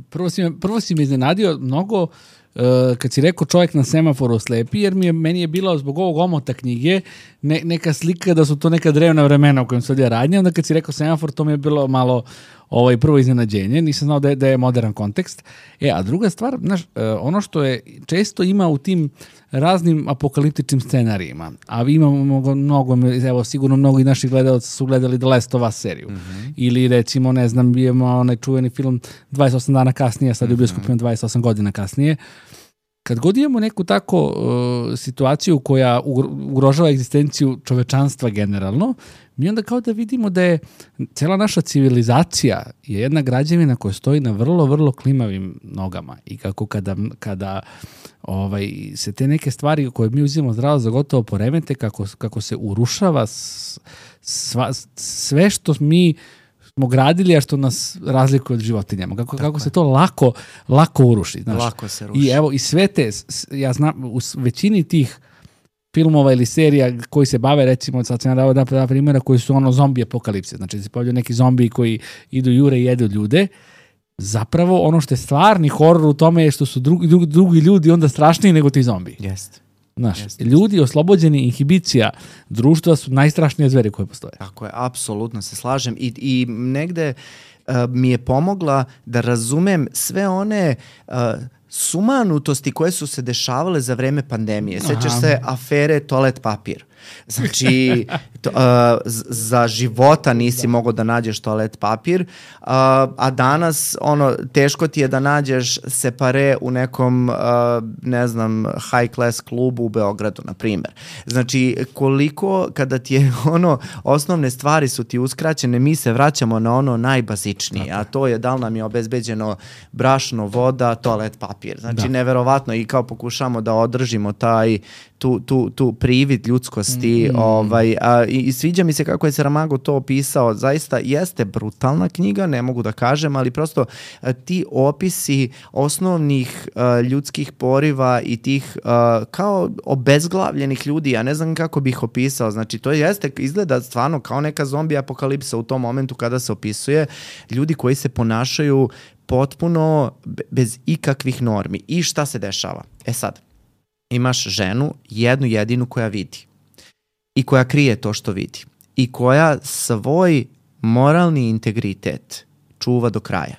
prvo, si me, prvo si me iznenadio mnogo Uh, kad si rekao čovjek na semaforu slepi, jer mi je, meni je bila zbog ovog omota knjige ne, neka slika da su to neka drevna vremena u kojem se odvija radnja, onda kad si rekao semafor, to mi je bilo malo ovaj, prvo iznenađenje, nisam znao da je, da je modern kontekst. E, a druga stvar, znaš, uh, ono što je često ima u tim raznim apokaliptičnim scenarijima, a vi imamo mnogo, mnogo, evo sigurno mnogo i naših gledalaca su gledali The Last of Us seriju, mm-hmm. ili recimo, ne znam, imamo onaj čuveni film dvadeset osam dana kasnije, sad je u bioskopima dvadeset osam godina kasnije. Kad god imamo neku tako uh, situaciju koja ugrožava egzistenciju čovečanstva generalno, mi onda kao da vidimo da je cela naša civilizacija je jedna građevina koja stoji na vrlo, vrlo klimavim nogama i kako kada, kada ovaj, se te neke stvari koje mi uzimamo zdravo za gotovo poremete, kako, kako se urušava sva, sve što mi smo gradili, a što nas razlikuje od životinjama. Kako, kako se to lako, lako uruši. Znaš.
Lako se ruši.
I evo, i sve te, ja znam, u većini tih filmova ili serija koji se bave, recimo, sad sam ja dao da primjera, koji su ono zombi apokalipse. Znači, se pojavljaju neki zombi koji idu jure i jedu ljude. Zapravo, ono što je stvarni horor u tome je što su drugi, drugi, drugi ljudi onda strašniji nego ti zombi.
Jeste.
Znaš, Jeste. Ljudi oslobođeni inhibicija društva su najstrašnije zveri koje postoje.
Tako je, apsolutno se slažem i, i negde uh, mi je pomogla da razumem sve one uh, sumanutosti koje su se dešavale za vreme pandemije. Sećaš se afere toalet papir. Znači, to, uh, za života nisi mogao da nađeš toalet papir, uh, a danas ono, teško ti je da nađeš separe u nekom, uh, ne znam, high class klubu u Beogradu, na primjer. Znači, koliko kada ti je ono, osnovne stvari su ti uskraćene, mi se vraćamo na ono najbazičnije, a to je da li nam je obezbeđeno brašno, voda, toalet papir. Znači, da. Neverovatno i kao pokušamo da održimo taj tu, tu, tu privid ljudskosti. Mm. Ovaj, a, i, i sviđa mi se kako je Saramago to opisao. Zaista jeste brutalna knjiga, ne mogu da kažem, ali prosto a, ti opisi osnovnih a, ljudskih poriva i tih a, kao obezglavljenih ljudi, ja ne znam kako bih opisao. Znači, to jeste, izgleda stvarno kao neka zombi apokalipsa u tom momentu kada se opisuje ljudi koji se ponašaju potpuno bez ikakvih normi. I šta se dešava? E sad, imaš ženu, jednu jedinu koja vidi i koja krije to što vidi i koja svoj moralni integritet čuva do kraja.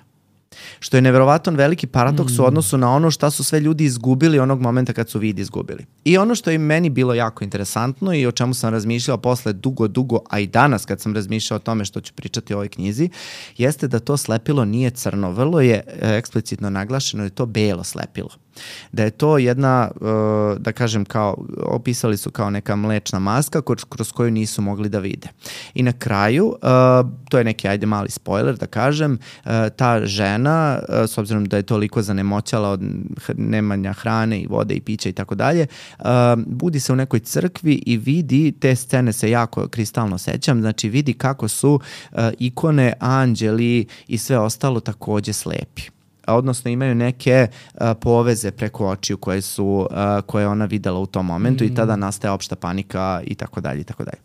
Što je neverovatan veliki paradoks mm. u odnosu na ono šta su sve ljudi izgubili onog momenta kad su vidi izgubili. I ono što je meni bilo jako interesantno i o čemu sam razmišljao posle dugo, dugo, a i danas kad sam razmišljao o tome što ću pričati o ovoj knjizi, jeste da to slepilo nije crno. Vrlo je eksplicitno naglašeno da je to belo slepilo. Da je to jedna, da kažem, kao, opisali su kao neka mlečna maska kroz koju nisu mogli da vide. I na kraju, to je neki, ajde, mali spoiler da kažem, ta žena, s obzirom da je toliko zanemoćala od nemanja hrane i vode i pića i tako dalje, budi se u nekoj crkvi i vidi, te scene se jako kristalno sećam, znači vidi kako su ikone, anđeli i sve ostalo takođe slepi. Odnosno imaju neke uh, poveze preko očiju koje su uh, koje ona videla u tom momentu mm. i tada nastaje opšta panika i tako dalje i tako dalje.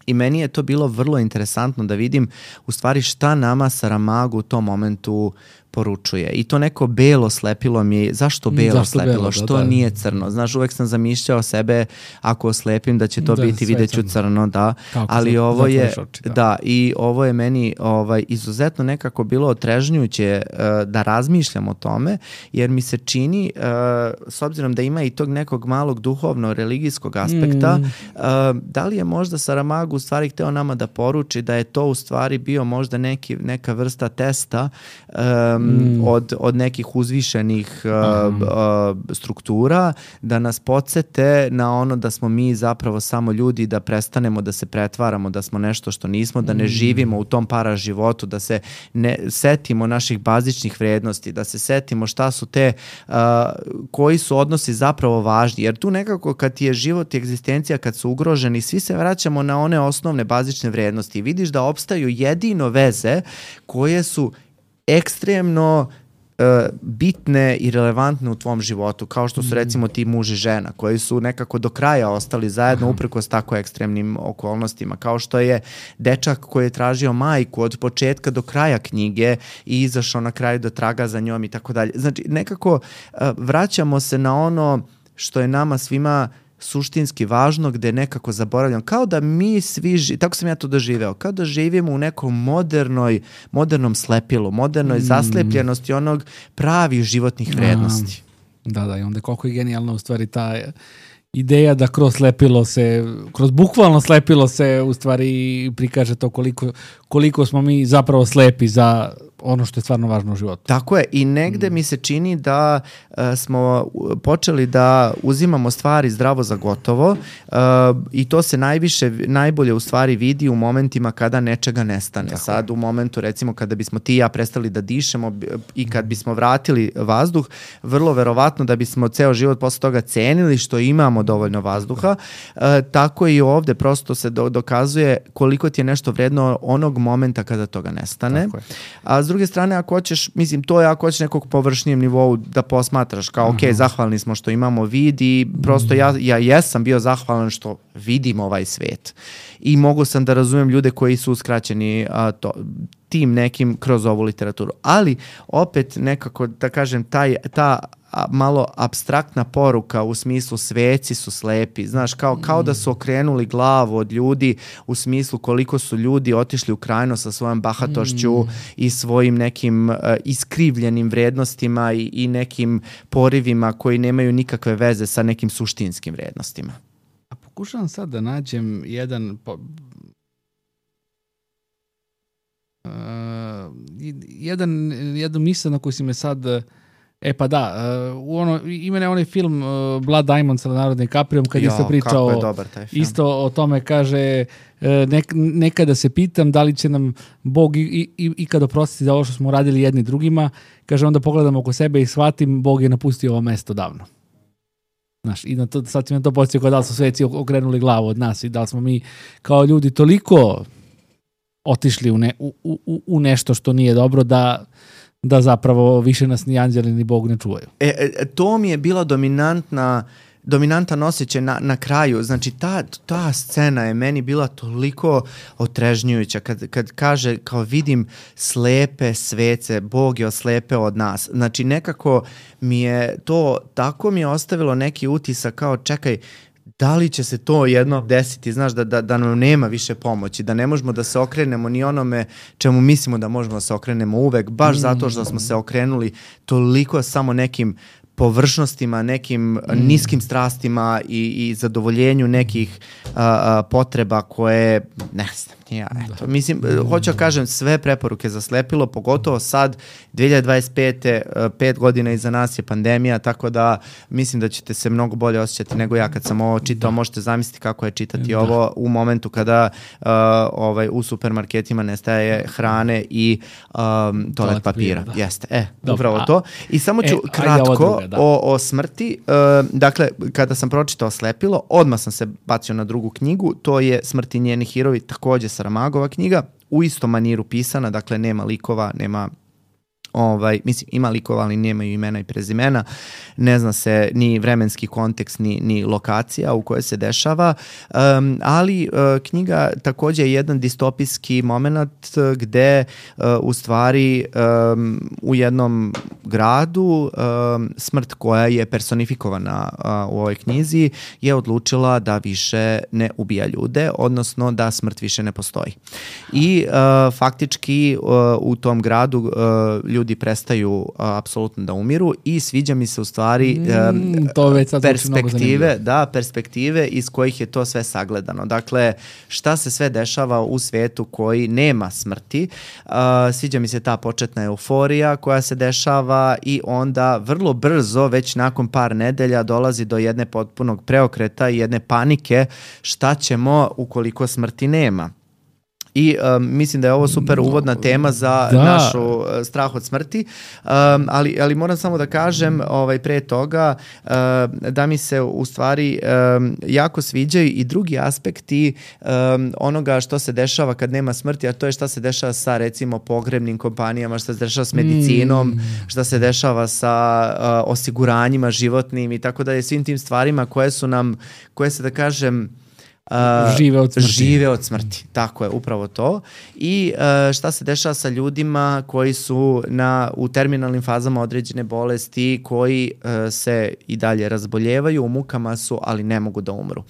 I meni je to bilo vrlo interesantno da vidim u stvari šta nama Saramago u tom momentu poručuje. I to neko belo slepilo mi je, zašto belo zašto slepilo, belo, što da, da. Nije crno? Znaš, uvek sam zamišljao sebe ako oslepim da će to da, biti videću crno, crno da, kako ali za, ovo je oči, da. da, i ovo je meni ovaj izuzetno nekako bilo otrežnjujuće uh, da razmišljam o tome, jer mi se čini uh, s obzirom da ima i tog nekog malog duhovno religijskog aspekta, mm. uh, da li je možda Saramago u stvari hteo nama da poruči da je to u stvari bio možda neki, neka vrsta testa um, Mm. Od, od nekih uzvišenih uh, uh, struktura, da nas podsete na ono da smo mi zapravo samo ljudi, da prestanemo da se pretvaramo, da smo nešto što nismo, da ne mm. živimo u tom paraživotu, da se ne setimo naših bazičnih vrednosti, da se setimo šta su te, uh, koji su odnosi zapravo važni, jer tu nekako kad ti je život i egzistencija, kad su ugroženi, svi se vraćamo na one osnovne bazične vrednosti i vidiš da opstaju jedino veze koje su ekstremno uh, bitne i relevantne u tvom životu, kao što su recimo ti muž i žena, koji su nekako do kraja ostali zajedno Aha. uprkos tako ekstremnim okolnostima, kao što je dečak koji je tražio majku od početka do kraja knjige i izašao na kraju do traga za njom i tako dalje. Znači, nekako uh, vraćamo se na ono što je nama svima suštinski važno, gde nekako zaboravljam, kao da mi svi, ži... tako sam ja to doživeo, kao da živimo u nekom modernoj, modernom slepilu, modernoj mm. zaslepljenosti onog pravih životnih vrednosti.
A, da, da, i onda koliko je genijalna u stvari ta ideja da kroz slepilo se, kroz bukvalno slepilo se u stvari prikaže to koliko, koliko smo mi zapravo slepi za ono što je stvarno važno u životu.
Tako je, i negde mm. mi se čini da uh, smo počeli da uzimamo stvari zdravo za gotovo uh, i to se najviše, najbolje u stvari vidi u momentima kada nečega nestane. Tako Sad je. U momentu recimo kada bismo ti i ja prestali da dišemo i kad bismo vratili vazduh, vrlo verovatno da bismo ceo život posle toga cenili što imamo dovoljno vazduha, uh, tako i ovde prosto se do, dokazuje koliko ti je nešto vredno onog momenta kada toga nestane. Tako je. A s druge strane, ako hoćeš, mislim, to je ako hoćeš nekog površnijem nivou da posmatraš, kao, ok, zahvalni smo što imamo vid i prosto ja, ja jesam bio zahvalan što vidim ovaj svet. I mogu sam da razumem ljude koji su uskraćeni a, to, tim nekim kroz ovu literaturu. Ali, opet, nekako, da kažem, taj, ta malo apstraktna poruka u smislu sveci su slepi, znaš, kao, kao da su okrenuli glavu od ljudi u smislu koliko su ljudi otišli u krajno sa svojom bahatošću mm. i svojim nekim uh, iskrivljenim vrednostima i, i nekim porivima koji nemaju nikakve veze sa nekim suštinskim vrednostima.
pokušavam sad da nađem jedan... Po, uh, jedan, jednu misao na koju si me sad... E pa da, uh, ono, ima ne onaj film uh, Blood Diamond sa Leonardo DiCaprio kad
jo,
isto pričao
je dobar taj film.
Isto o tome kaže uh, nek, nekada se pitam da li će nam Bog i, i, ikada oprostiti za ovo što smo radili jedni drugima. Kaže onda pogledam oko sebe i shvatim Bog je napustio ovo mesto davno. Znaš, i na to, sad ti me to podsjetio kao da li su sveci okrenuli glavu od nas i da li smo mi kao ljudi toliko otišli u, ne, u, u, u nešto što nije dobro da da zapravo više nas ni anđeli ni Bog ne čuvaju.
E, e, to mi je bila dominantna dominantan osjećaj na, na kraju. Znači, ta, ta scena je meni bila toliko otrežnjujuća. Kad, kad kaže, kao vidim slepe svece, Bog je oslepeo od nas. Znači, nekako mi je to, tako mi je ostavilo neki utisak kao, čekaj, da li će se to jednom desiti, znaš, da, da, da nam nema više pomoći, da ne možemo da se okrenemo ni onome čemu mislimo da možemo da se okrenemo uvek, baš zato što smo se okrenuli toliko samo nekim površnostima, nekim mm. niskim strastima i, i zadovoljenju nekih a, a, potreba koje, ne znam, ja, eto, mislim, hoću da kažem, sve preporuke zaslepilo, pogotovo sad, dve hiljade dvadeset pete, pet godina iza nas je pandemija, tako da mislim da ćete se mnogo bolje osjećati nego ja kad sam ovo čitao, da. Možete zamisliti kako je čitati da. Ovo u momentu kada uh, ovaj, u supermarketima nestaje hrane i um, toalet papira. Da. Jeste, e, Dobre, upravo a, to. I samo ću e, kratko druga, da. o, o smrti. Uh, dakle, kada sam pročitao Slepilo, odmah sam se bacio na drugu knjigu, to je Smrt i njeni heroji, takođe Saramagova knjiga, u istom maniru pisana, dakle nema likova, nema ovaj, mislim, ima likova, ali nemaju imena i prezimena, ne zna se ni vremenski kontekst, ni, ni lokacija u kojoj se dešava, um, ali uh, knjiga takođe je jedan distopijski moment gde uh, u stvari um, u jednom gradu um, smrt koja je personifikovana uh, u ovoj knjizi je odlučila da više ne ubija ljude, odnosno da smrt više ne postoji. I uh, faktički uh, u tom gradu uh, ljudi prestaju uh, apsolutno da umiru i sviđa mi se u stvari um,
to već sad
perspektive, da, perspektive iz kojih je to sve sagledano. Dakle, šta se sve dešava u svetu koji nema smrti. Uh, sviđa mi se ta početna euforija koja se dešava i onda vrlo brzo, već nakon par nedelja, dolazi do jedne potpunog preokreta i jedne panike šta ćemo ukoliko smrti nema. I um, mislim da je ovo super uvodna tema za da. našu uh, strah od smrti, um, ali, ali moram samo da kažem ovaj, pre toga uh, da mi se u stvari um, jako sviđaju i drugi aspekti um, onoga što se dešava kad nema smrti, a to je šta se dešava sa recimo pogrebnim kompanijama, šta se dešava s medicinom, mm. šta se dešava sa uh, osiguranjima životnim i tako dalje, svim tim stvarima koje su nam, koje se da kažem Uh,
žive od smrti.
Žive od smrti, tako je, upravo to. I uh, šta se dešava sa ljudima koji su na, u terminalnim fazama određene bolesti, koji uh, se i dalje razboljevaju, u mukama su, ali ne mogu da umru.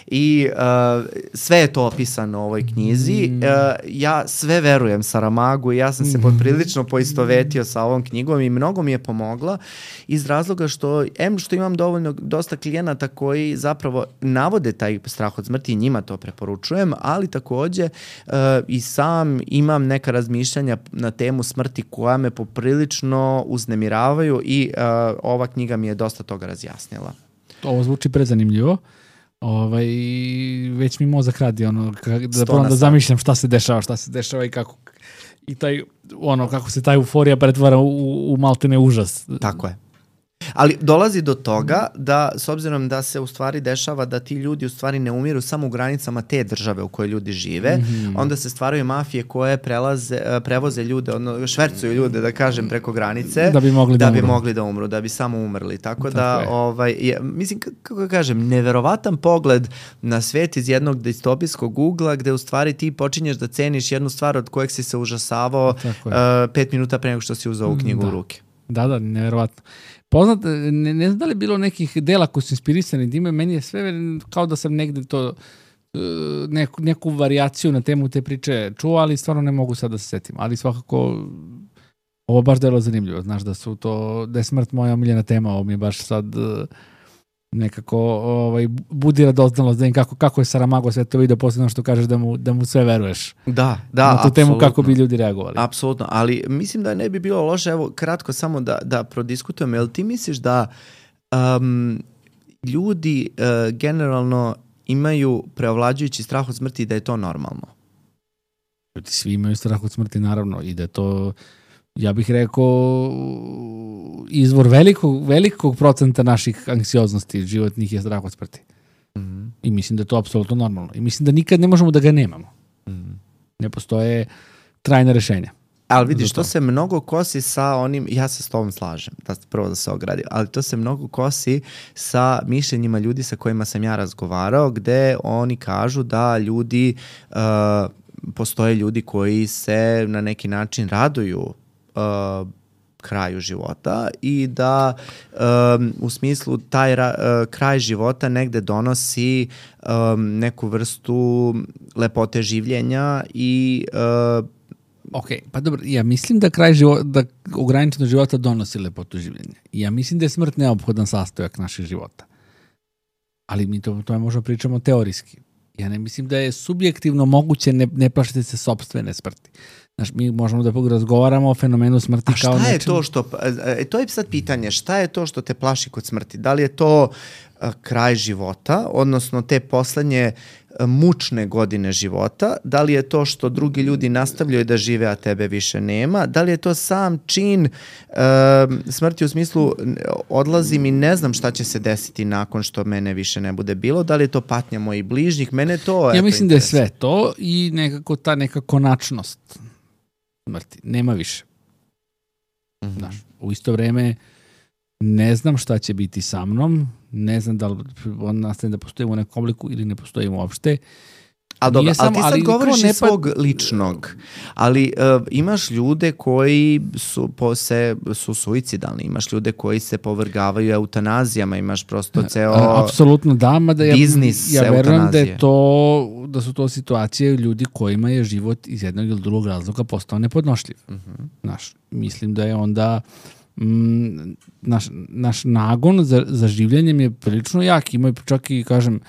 I uh, sve je to opisano u ovoj knjizi. Mm. Uh, ja sve verujem Saramagu i ja sam se poprilično poistovetio sa ovom knjigom i mnogo mi je pomogla iz razloga što, em što imam dovoljno, dosta klijenata koji zapravo navode taj strah od smrti, i njima to preporučujem, ali takođe uh, i sam imam neka razmišljanja na temu smrti koja me poprilično uznemiravaju i uh, ova knjiga mi je dosta toga razjasnila.
Ovo zvuči prezanimljivo. Ovaj, već mi mozak radi ono, da probam da zamišljam šta se dešava, šta se dešava i kako i taj, ono, kako se ta euforija pretvara u, u maltene užas.
Tako je. Ali dolazi do toga da, s obzirom da se u stvari dešava da ti ljudi u stvari ne umiru samo u granicama te države u kojoj ljudi žive, mm-hmm. onda se stvaraju mafije koje prelaze, prevoze ljude, ono, švercuju ljude, da kažem, preko granice,
da bi mogli da,
da,
bi
mogli da umru, da bi samo umrli. Tako, Tako da, je. ovaj, je, mislim, kako kažem, neverovatan pogled na svet iz jednog distopijskog ugla, gde u stvari ti počinješ da ceniš jednu stvar od kojeg si se užasavao uh, pet minuta pre nego što si uzao u knjigu
da.
u ruke.
Da, da, neverovatno. Poznat, ne, ne znam da li je bilo nekih dela koji su inspirisani dime, meni je sve kao da sam negde to neku, neku varijaciju na temu te priče čuo, ali stvarno ne mogu sad da se setim. Ali svakako ovo baš delo zanimljivo. Znaš da su to, da je smrt moja omiljena tema, ovo mi je baš sad nekako ovaj, budi radoznalost da im kako, kako je Saramago sve to vidio, posebno što kažeš da mu, da mu sve veruješ.
Da, da,
na tu temu kako bi ljudi reagovali.
Apsolutno, ali mislim da ne bi bilo loše, evo kratko samo da, da prodiskutujemo, jel ti misliš da um, ljudi uh, generalno imaju preovlađujući strah od smrti i da je to normalno?
Ljudi svi imaju strah od smrti, naravno, i da je to, ja bih rekao, izvor velikog, velikog procenta naših anksioznosti životnih je strah od smrti. Mm-hmm. I mislim da je to apsolutno normalno. I mislim da nikad ne možemo da ga nemamo. Mm-hmm. Ne postoje trajna rešenja.
Ali vidiš, to se mnogo kosi sa onim, ja se s tobom slažem, da prvo da se ogradim, ali to se mnogo kosi sa mišljenjima ljudi sa kojima sam ja razgovarao, gde oni kažu da ljudi, uh, postoje ljudi koji se na neki način raduju uh, kraju života i da um, u smislu taj ra, uh, kraj života negde donosi um, neku vrstu lepote življenja i uh,
ok, pa dobro, ja mislim da kraj života, da ograničeno života donosi lepotu življenja. Ja mislim da je smrt neophodan sastojak naših života. Ali mi to, to možemo pričamo teorijski. Ja ne mislim da je subjektivno moguće ne, ne plašiti se sopstvene smrti. Znaš, mi možemo da razgovaramo o fenomenu smrti kao nečemu. A šta je to što, e, to je sad pitanje, šta je to što te plaši kod smrti? Da li je to a, kraj života, odnosno te poslednje a, mučne godine života? Da li je to što drugi ljudi nastavljaju da žive, a tebe više nema? Da li je to sam čin a, smrti u smislu odlazim i ne znam šta će se desiti nakon što mene više ne bude bilo? Da li je to patnja mojih bližnjih? Mene to... Ja mislim da je sve to i nekako ta neka konačnost smrti. Nema više. Mm-hmm. Znaš, u isto vreme ne znam šta će biti sa mnom, ne znam da li on nastane da postojimo u nekom obliku ili ne postojimo uopšte.
A dobro, ali ti sad ali govoriš iz svog ličnog, ali uh, imaš ljude koji su, po se, su suicidalni, imaš ljude koji se povrgavaju eutanazijama, imaš prosto ceo
a, apsolutno da, mada ja,
biznis
ja verujem da, je to, da su to situacije ljudi kojima je život iz jednog ili drugog razloga postao nepodnošljiv. Uh-huh. Znaš, mislim da je onda mm, naš, naš nagon za, za življenjem je prilično jak, ima čak i, kažem,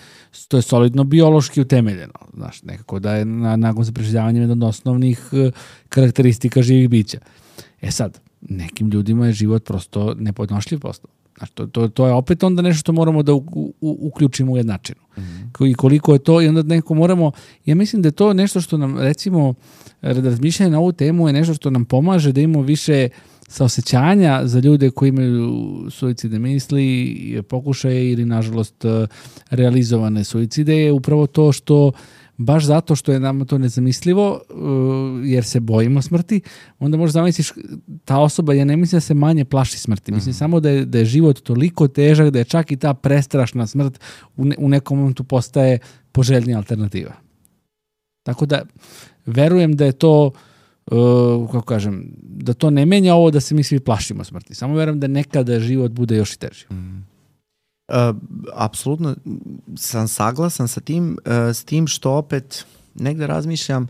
to je solidno biološki utemeljeno. Znaš, nekako da je na, nagon za preživljavanje jedna od osnovnih uh, karakteristika živih bića. E sad, nekim ljudima je život prosto nepodnošljiv postao. Znaš, to, to, to je opet onda nešto što moramo da u, u, uključimo u jednačinu. Mm-hmm. I koliko je to, i onda neko moramo, ja mislim da je to nešto što nam, recimo, razmišljanje na ovu temu je nešto što nam pomaže da imamo više saosećanja za ljude koji imaju suicidne misli, pokušaje ili, nažalost, realizovane suicide, je upravo to što, baš zato što je nam to nezamislivo, jer se bojimo smrti, onda možda zamisliš, ta osoba, ja ne mislim da se manje plaši smrti, mislim mm. samo da je, da je život toliko težak, da je čak i ta prestrašna smrt u, ne, u nekom momentu postaje poželjnija alternativa. Tako da, verujem da je to Uh, kako kažem, da to ne menja ovo da se mi svi plašimo smrti. Samo verujem da nekada život bude još i teži. Mm.
Uh, apsolutno sam saglasan sa tim, uh, s tim što opet negde razmišljam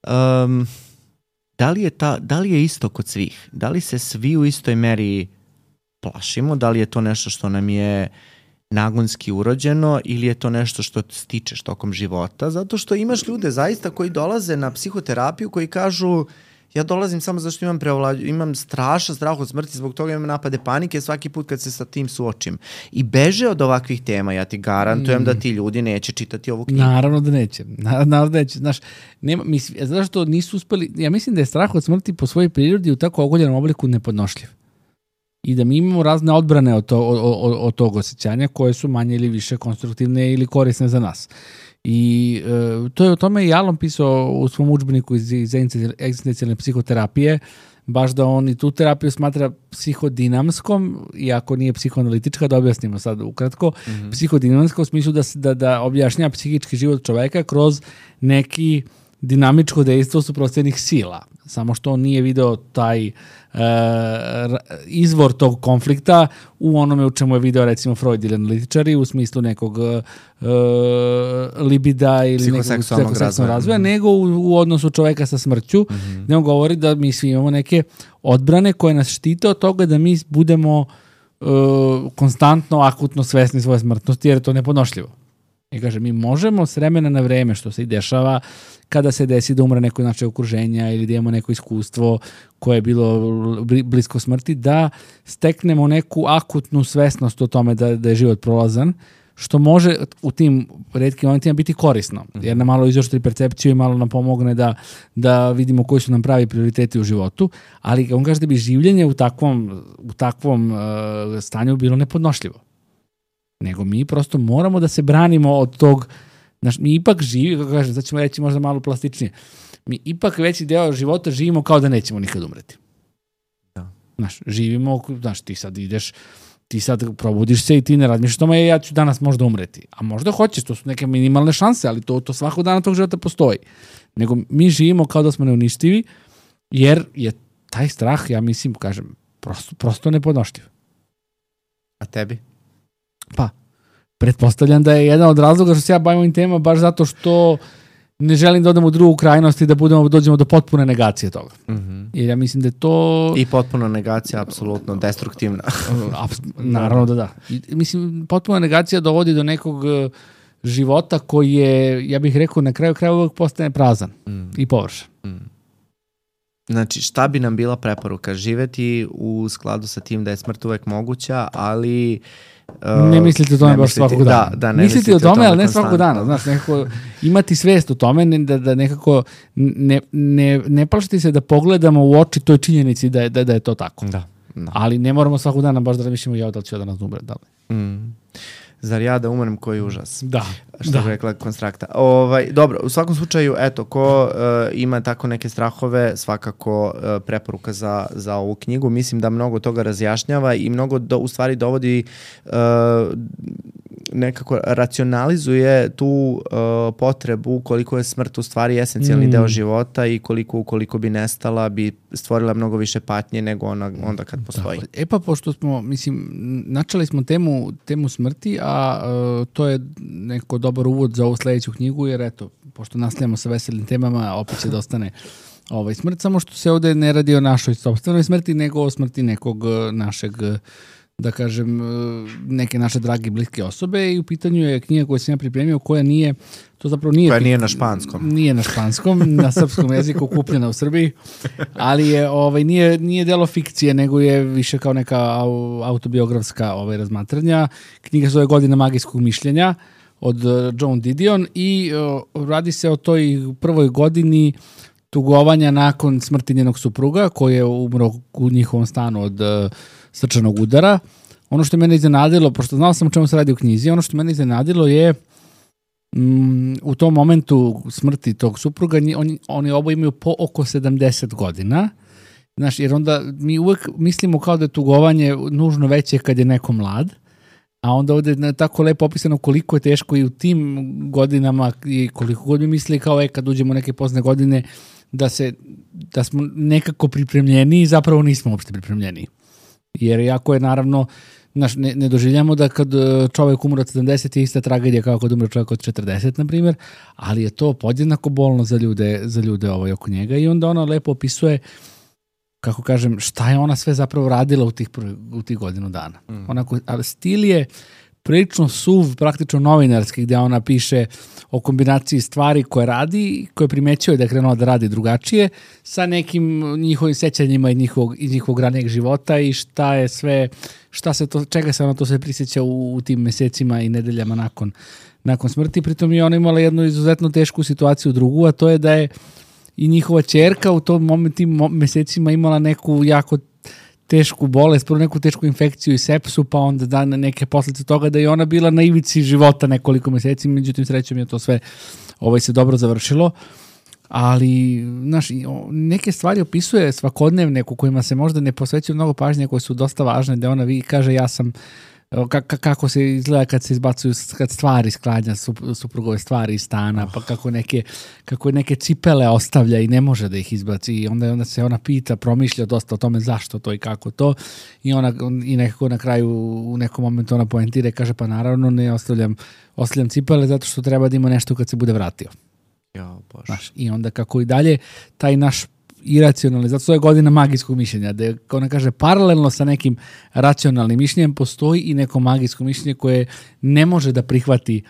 um, da li je ta, da li je isto kod svih? Da li se svi u istoj meri plašimo? Da li je to nešto što nam je nagonski urođeno ili je to nešto što stičeš tokom života? Zato što imaš ljude zaista koji dolaze na psihoterapiju koji kažu ja dolazim samo zašto imam preovlađu, imam strašan strah od smrti, zbog toga imam napade panike svaki put kad se sa tim suočim. I beže od ovakvih tema, ja ti garantujem mm. da ti ljudi neće čitati ovu knjigu.
Naravno da neće. Naravno da neće. Znaš, nema, mislim, znaš što nisu uspeli, ja mislim da je strah od smrti po svojoj prirodi u tako ogoljenom obliku nepodnošljiv. I da mi imamo razne odbrane od, to, od, od, od tog osjećanja koje su manje ili više konstruktivne ili korisne za nas. I e, to je o tome i Alon pisao u svom udžbeniku iz, iz egzistencijalne psihoterapije, baš da on i tu terapiju smatra psihodinamskom, iako nije psihoanalitička, da objasnimo sad ukratko, mm-hmm. psihodinamska u smislu da, da, da objašnjava psihički život čoveka kroz neki dinamičko dejstvo suprotstavljenih sila. Samo što on nije video taj e, izvor tog konflikta u onome u čemu je video recimo Freud ili analitičari u smislu nekog e, libida ili nekog psihoseksualnog razvoja, razvoja mm-hmm. nego u, u odnosu čoveka sa smrću, mm-hmm. gde on govori da mi svi imamo neke odbrane koje nas štite od toga da mi budemo uh, konstantno, akutno svesni svoje smrtnosti, jer je to nepodnošljivo. I kaže, mi možemo s vremena na vreme, što se i dešava, kada se desi da umre neko naše okruženja ili da imamo neko iskustvo koje je bilo blisko smrti, da steknemo neku akutnu svesnost o tome da, da je život prolazan, što može u tim retkim momentima biti korisno, jer nam malo izoštri percepciju i malo nam pomogne da, da vidimo koji su nam pravi prioriteti u životu, ali on kaže da bi življenje u takvom, u takvom uh, stanju bilo nepodnošljivo. Nego mi prosto moramo da se branimo od tog, znaš, mi ipak živi, kako kažem, sad ćemo reći možda malo plastičnije, mi ipak veći deo života živimo kao da nećemo nikad umreti.
Da.
Znaš, živimo, znaš, ti sad ideš, ti sad probudiš se i ti ne razmišljaš tome, ja ću danas možda umreti. A možda hoćeš, to su neke minimalne šanse, ali to, to svakog dana tog života postoji. Nego mi živimo kao da smo neuništivi, jer je taj strah, ja mislim, kažem, prosto, prosto nepodnošljiv.
A tebi?
Pa, pretpostavljam da je jedan od razloga što se ja bavim ovim temama baš zato što ne želim da odem u drugu krajnost i da budemo, dođemo do potpune negacije toga.
Mm-hmm.
Jer ja mislim da je to...
I potpuna negacija, apsolutno destruktivna.
Naravno da da. I, mislim, potpuna negacija dovodi do nekog života koji je, ja bih rekao, na kraju kraja uvijek postane prazan mm. i površan.
Mm. Znači, šta bi nam bila preporuka? Živeti u skladu sa tim da je smrt uvek moguća, ali... Uh,
ne mislite o tome baš svakog dana.
Da, da, ne
mislite,
mislite
o tome,
tome
ali ne
konstantno.
svakog dana. Znaš, nekako imati svest o tome, da, da nekako ne, ne, ne plašiti se da pogledamo u oči toj činjenici da je, da, da je to tako.
Da, da.
Ali ne moramo svakog dana baš da razmišljamo ja da li ću da nas umre. Da li.
Mm. Zar ja da umrem, koji užas.
Da.
Što
da.
bi rekla Konstrakta. Ovaj, dobro, u svakom slučaju, eto, ko uh, ima tako neke strahove, svakako uh, preporuka za, za ovu knjigu. Mislim da mnogo toga razjašnjava i mnogo do, u stvari dovodi uh, nekako racionalizuje tu uh, potrebu koliko je smrt u stvari esencijalni mm. deo života i koliko ukoliko bi nestala bi stvorila mnogo više patnje nego ona, onda kad postoji.
Da. E pa pošto smo, mislim, načeli smo temu, temu smrti, a uh, to je neko dobar uvod za ovu sledeću knjigu, jer eto, pošto nastavljamo sa veselim temama, opet će da ostane ovaj smrt, samo što se ovde ne radi o našoj sopstvenoj smrti, nego o smrti nekog našeg, da kažem, neke naše drage bliske osobe i u pitanju je knjiga koju sam ja pripremio, koja nije, to zapravo nije...
Koja nije na španskom.
Nije na španskom, na srpskom jeziku, kupljena u Srbiji, ali je, ovaj, nije, nije delo fikcije, nego je više kao neka autobiografska ovaj, razmatranja. Knjiga zove Godina magijskog mišljenja od Joan Didion i uh, radi se o toj prvoj godini tugovanja nakon smrti njenog supruga, koji je umro u njihovom stanu od uh, srčanog udara. Ono što je mene iznenadilo, pošto znao sam o čemu se radi u knjizi, ono što mene iznenadilo je mm, u tom momentu smrti tog supruga, oni, oni oba imaju po oko sedamdeset godina. Znaš, jer onda mi uvek mislimo kao da je tugovanje nužno veće kad je neko mlad, a onda ovde je tako lepo opisano koliko je teško i u tim godinama i koliko god mi misli kao e, kad uđemo u neke pozne godine da, se, da smo nekako pripremljeni i zapravo nismo uopšte pripremljeni. Jer jako je naravno, znaš, ne, ne doživljamo da kad čovjek umre od sedamdeset je ista tragedija kao kad umre čovjek od četrdeset, na primjer, ali je to podjednako bolno za ljude, za ljude ovaj oko njega i onda ona lepo opisuje, kako kažem, šta je ona sve zapravo radila u tih, u tih godinu dana. Mm. Onako, ali stil je prilično suv, praktično novinarski, gdje ona piše o kombinaciji stvari koje radi, koje primećuje da je krenula da radi drugačije, sa nekim njihovim sećanjima iz njihovog, iz njihovog ranijeg života i šta je sve, šta se to, čega se ona to sve prisjeća u, u tim mesecima i nedeljama nakon, nakon smrti. Pritom je ona imala jednu izuzetno tešku situaciju drugu, a to je da je i njihova ćerka u tom momentu, tim mesecima imala neku jako tešku bolest, prvo neku tešku infekciju i sepsu, pa onda da neke posljedice toga da je ona bila na ivici života nekoliko meseci, međutim srećom je to sve ovaj, se dobro završilo, ali znaš, neke stvari opisuje svakodnevne u kojima se možda ne posvećuje mnogo pažnje, koje su dosta važne, da ona vi kaže ja sam kako se izgleda kad se izbacuju kad stvari sklanja, suprugove stvari iz stana, pa kako neke, kako neke cipele ostavlja i ne može da ih izbaci i onda, onda se ona pita, promišlja dosta o tome zašto to i kako to i ona i nekako na kraju u nekom momentu ona poentira i kaže pa naravno ne ostavljam, ostavljam cipele zato što treba da ima nešto kad se bude vratio.
Jo, Bože.
Znaš, i onda kako i dalje taj naš iracionalni, zato to je godina magijskog mišljenja, da je, kao ona kaže, paralelno sa nekim racionalnim mišljenjem postoji i neko magijsko mišljenje koje ne može da prihvati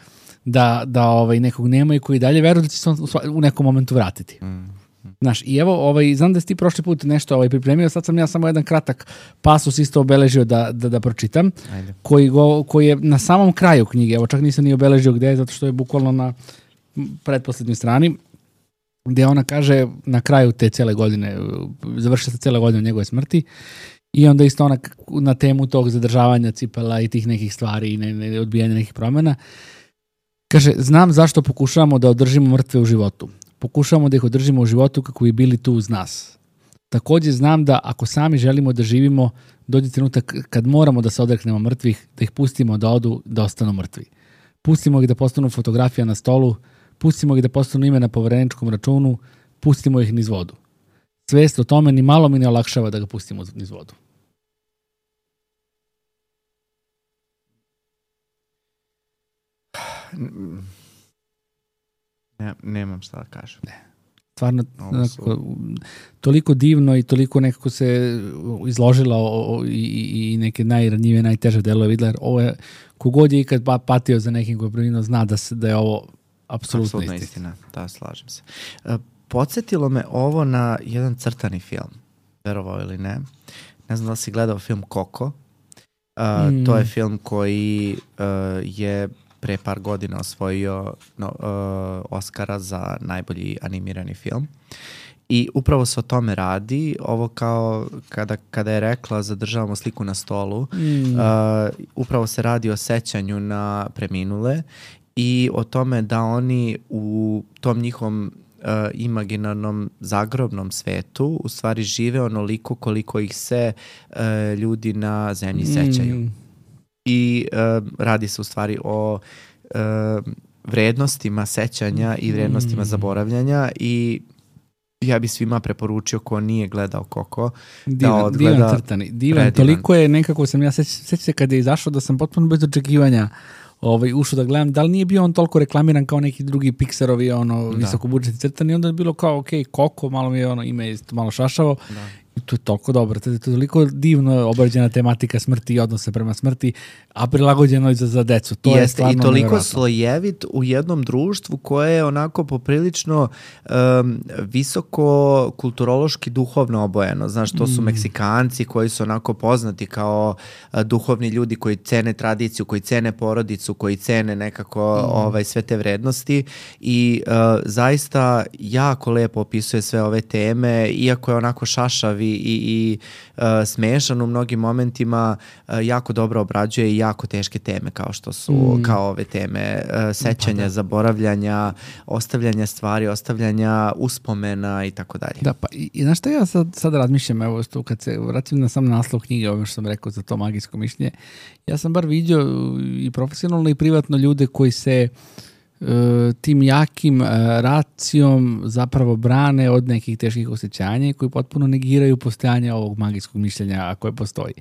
da, da ovaj, nekog nema i koji dalje veruje da će se on u nekom momentu vratiti. Mm. Znaš, i evo, ovaj, znam da si ti prošli put nešto ovaj, pripremio, sad sam ja samo jedan kratak pasus isto obeležio da, da, da pročitam, koji, go, koji je na samom kraju knjige, evo čak nisam ni obeležio gde je, zato što je bukvalno na pretposlednjoj strani, gde ona kaže na kraju te cele godine, završi se cele godine njegove smrti, i onda isto ona na temu tog zadržavanja cipela i tih nekih stvari i ne, ne, odbijanja nekih promjena, kaže, znam zašto pokušavamo da održimo mrtve u životu. Pokušavamo da ih održimo u životu kako bi bili tu uz nas. Također znam da ako sami želimo da živimo, dođe trenutak kad moramo da se odreknemo mrtvih, da ih pustimo da odu, da ostanu mrtvi. Pustimo ih da postanu fotografija na stolu, pustimo ih da postanu ime na povereničkom računu, pustimo ih niz vodu. Svest o tome ni malo mi ne olakšava da ga pustimo niz vodu.
Ne, nemam šta da kažem.
Ne. Stvarno, nekako, toliko divno i toliko nekako se izložila o, o, i, i neke najranjivije, najteže delove videla. Ovo je, kogod je ikad patio za nekim koji je preminuo, zna da, se, da je ovo apsolutno istina.
istina. Da, slažem se. Uh, podsjetilo me ovo na jedan crtani film, verovao ili ne. Ne znam da li si gledao film Coco. Uh, mm. To je film koji uh, je pre par godina osvojio no, uh, Oscara za najbolji animirani film. I upravo se o tome radi. Ovo kao kada, kada je rekla zadržavamo sliku na stolu, mm. uh, upravo se radi o sećanju na preminule i o tome da oni u tom njihovom uh, imaginarnom zagrobnom svetu u stvari žive onoliko koliko ih se uh, ljudi na zemlji mm. sećaju. I uh, radi se u stvari o uh, vrednostima sećanja i vrednostima mm. zaboravljanja i ja bi svima preporučio ko nije gledao Coco
divan,
da odgleda.
Divan crtani, divan. Toliko je nekako sam ja sećam se kada je izašao da sam potpuno bez očekivanja ovaj, ušao da gledam. Da li nije bio on toliko reklamiran kao neki drugi Pixarovi ono, visokobudžetni crtani, onda je bilo kao ok, Coco, malo mi je ono ime malo šašavo. Da. I to je toliko dobro, to je toliko divno obrađena tematika smrti i odnose prema smrti, a prilagođeno i za, za decu. To
Jeste,
je stvarno
i toliko
nevjerojatno.
slojevit u jednom društvu koje je onako poprilično um, visoko kulturološki duhovno obojeno. Znaš, to su mm. Meksikanci koji su onako poznati kao uh, duhovni ljudi koji cene tradiciju, koji cene porodicu, koji cene nekako mm. ovaj, sve te vrednosti i uh, zaista jako lepo opisuje sve ove teme, iako je onako šašav i, i uh, smešan u mnogim momentima, uh, jako dobro obrađuje i jako teške teme kao što su mm. kao ove teme uh, sećanja, pa da. zaboravljanja, ostavljanja stvari, ostavljanja uspomena i tako dalje.
Da, pa i, i znaš šta ja sad, sad razmišljam, evo što kad se vratim na sam naslov knjige, ovo što sam rekao za to magijsko mišljenje, ja sam bar vidio i profesionalno i privatno ljude koji se tim jakim racijom zapravo brane od nekih teških osjećanja i koji potpuno negiraju postojanje ovog magijskog mišljenja, a koje postoji.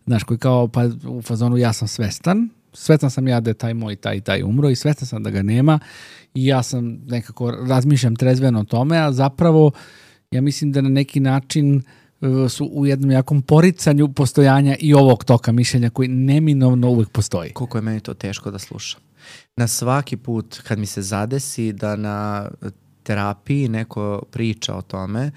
Znaš, koji kao pa u fazonu ja sam svestan, svestan sam ja da je taj moj taj i taj umro i svestan sam da ga nema i ja sam nekako razmišljam trezveno o tome, a zapravo ja mislim da na neki način su u jednom jakom poricanju postojanja i ovog toka mišljenja koji neminovno uvijek postoji.
Koliko je meni to teško da slušam. Na svaki put kad mi se zadesi da na terapiji neko priča o tome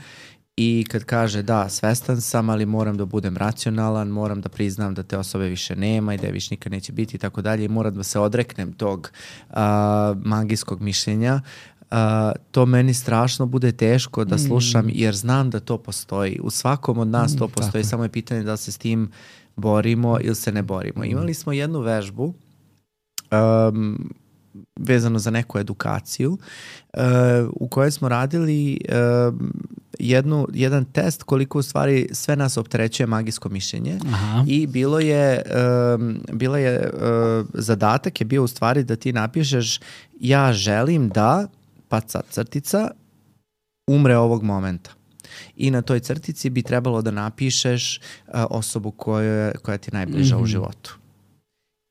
i kad kaže da, svestan sam, ali moram da budem racionalan, moram da priznam da te osobe više nema i da je više nikad neće biti i tako dalje i moram da se odreknem tog uh, magijskog mišljenja, Uh, to meni strašno bude teško da slušam jer znam da to postoji. U svakom od nas to postoji, mm, samo je pitanje da se s tim borimo ili se ne borimo. Mm. Imali smo jednu vežbu um, vezano za neku edukaciju uh, u kojoj smo radili uh, jednu, jedan test koliko u stvari sve nas opterećuje magijsko mišljenje. Aha. I bilo je, um, bilo je uh, zadatak je bio u stvari da ti napišeš ja želim da pa sad crtica, umre ovog momenta. I na toj crtici bi trebalo da napišeš uh, osobu koja, koja ti je najbliža mm-hmm. u životu.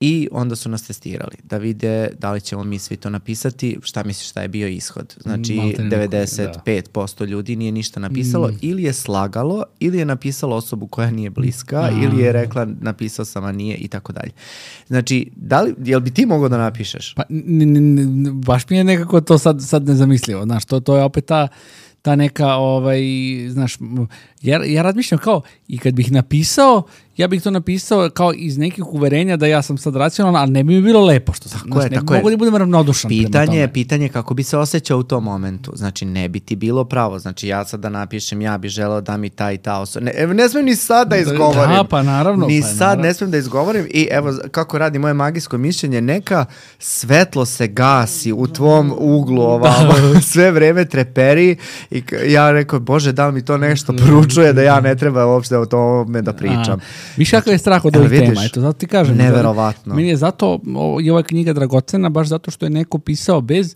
I onda su nas testirali da vide da li ćemo mi svi to napisati, šta misliš šta je bio ishod. Znači
Maltene
devedeset pet posto ljudi nije ništa napisalo, mm. ili je slagalo, ili je napisalo osobu koja nije bliska, a. ili je rekla napisao sam, a nije i tako dalje. Znači, da li, jel bi ti mogao da napišeš?
Pa, n, n, n, baš mi je nekako to sad, sad nezamislivo, znaš, to, to je opet ta ta neka, ovaj, znaš, ja, ja razmišljam kao, i kad bih napisao, ja bih to napisao kao iz nekih uverenja da ja sam sad racionalan, ali ne bi mi bilo lepo što sam.
Tako je,
ne
tako
mogu da budem ravnodušan prema tome.
Pitanje je, pitanje kako bi se osjećao u tom momentu. Znači, ne bi ti bilo pravo. Znači, ja sad da napišem, ja bih želeo da mi ta i ta osoba. Ne, ne smijem ni sad da izgovorim.
Da, pa naravno.
Ni
pa
sad
naravno.
ne smijem da izgovorim i evo kako radi moje magijsko mišljenje, neka svetlo se gasi u tvom uglu ovamo, sve vreme treperi i ja rekao, Bože, da li mi to nešto poručuje da ja ne treba uopšte o tome da pričam.
Viš kakav je strah od ovih tema, eto, zato ti kažem.
Neverovatno.
Meni je zato, o, je ova knjiga dragocena, baš zato što je neko pisao bez,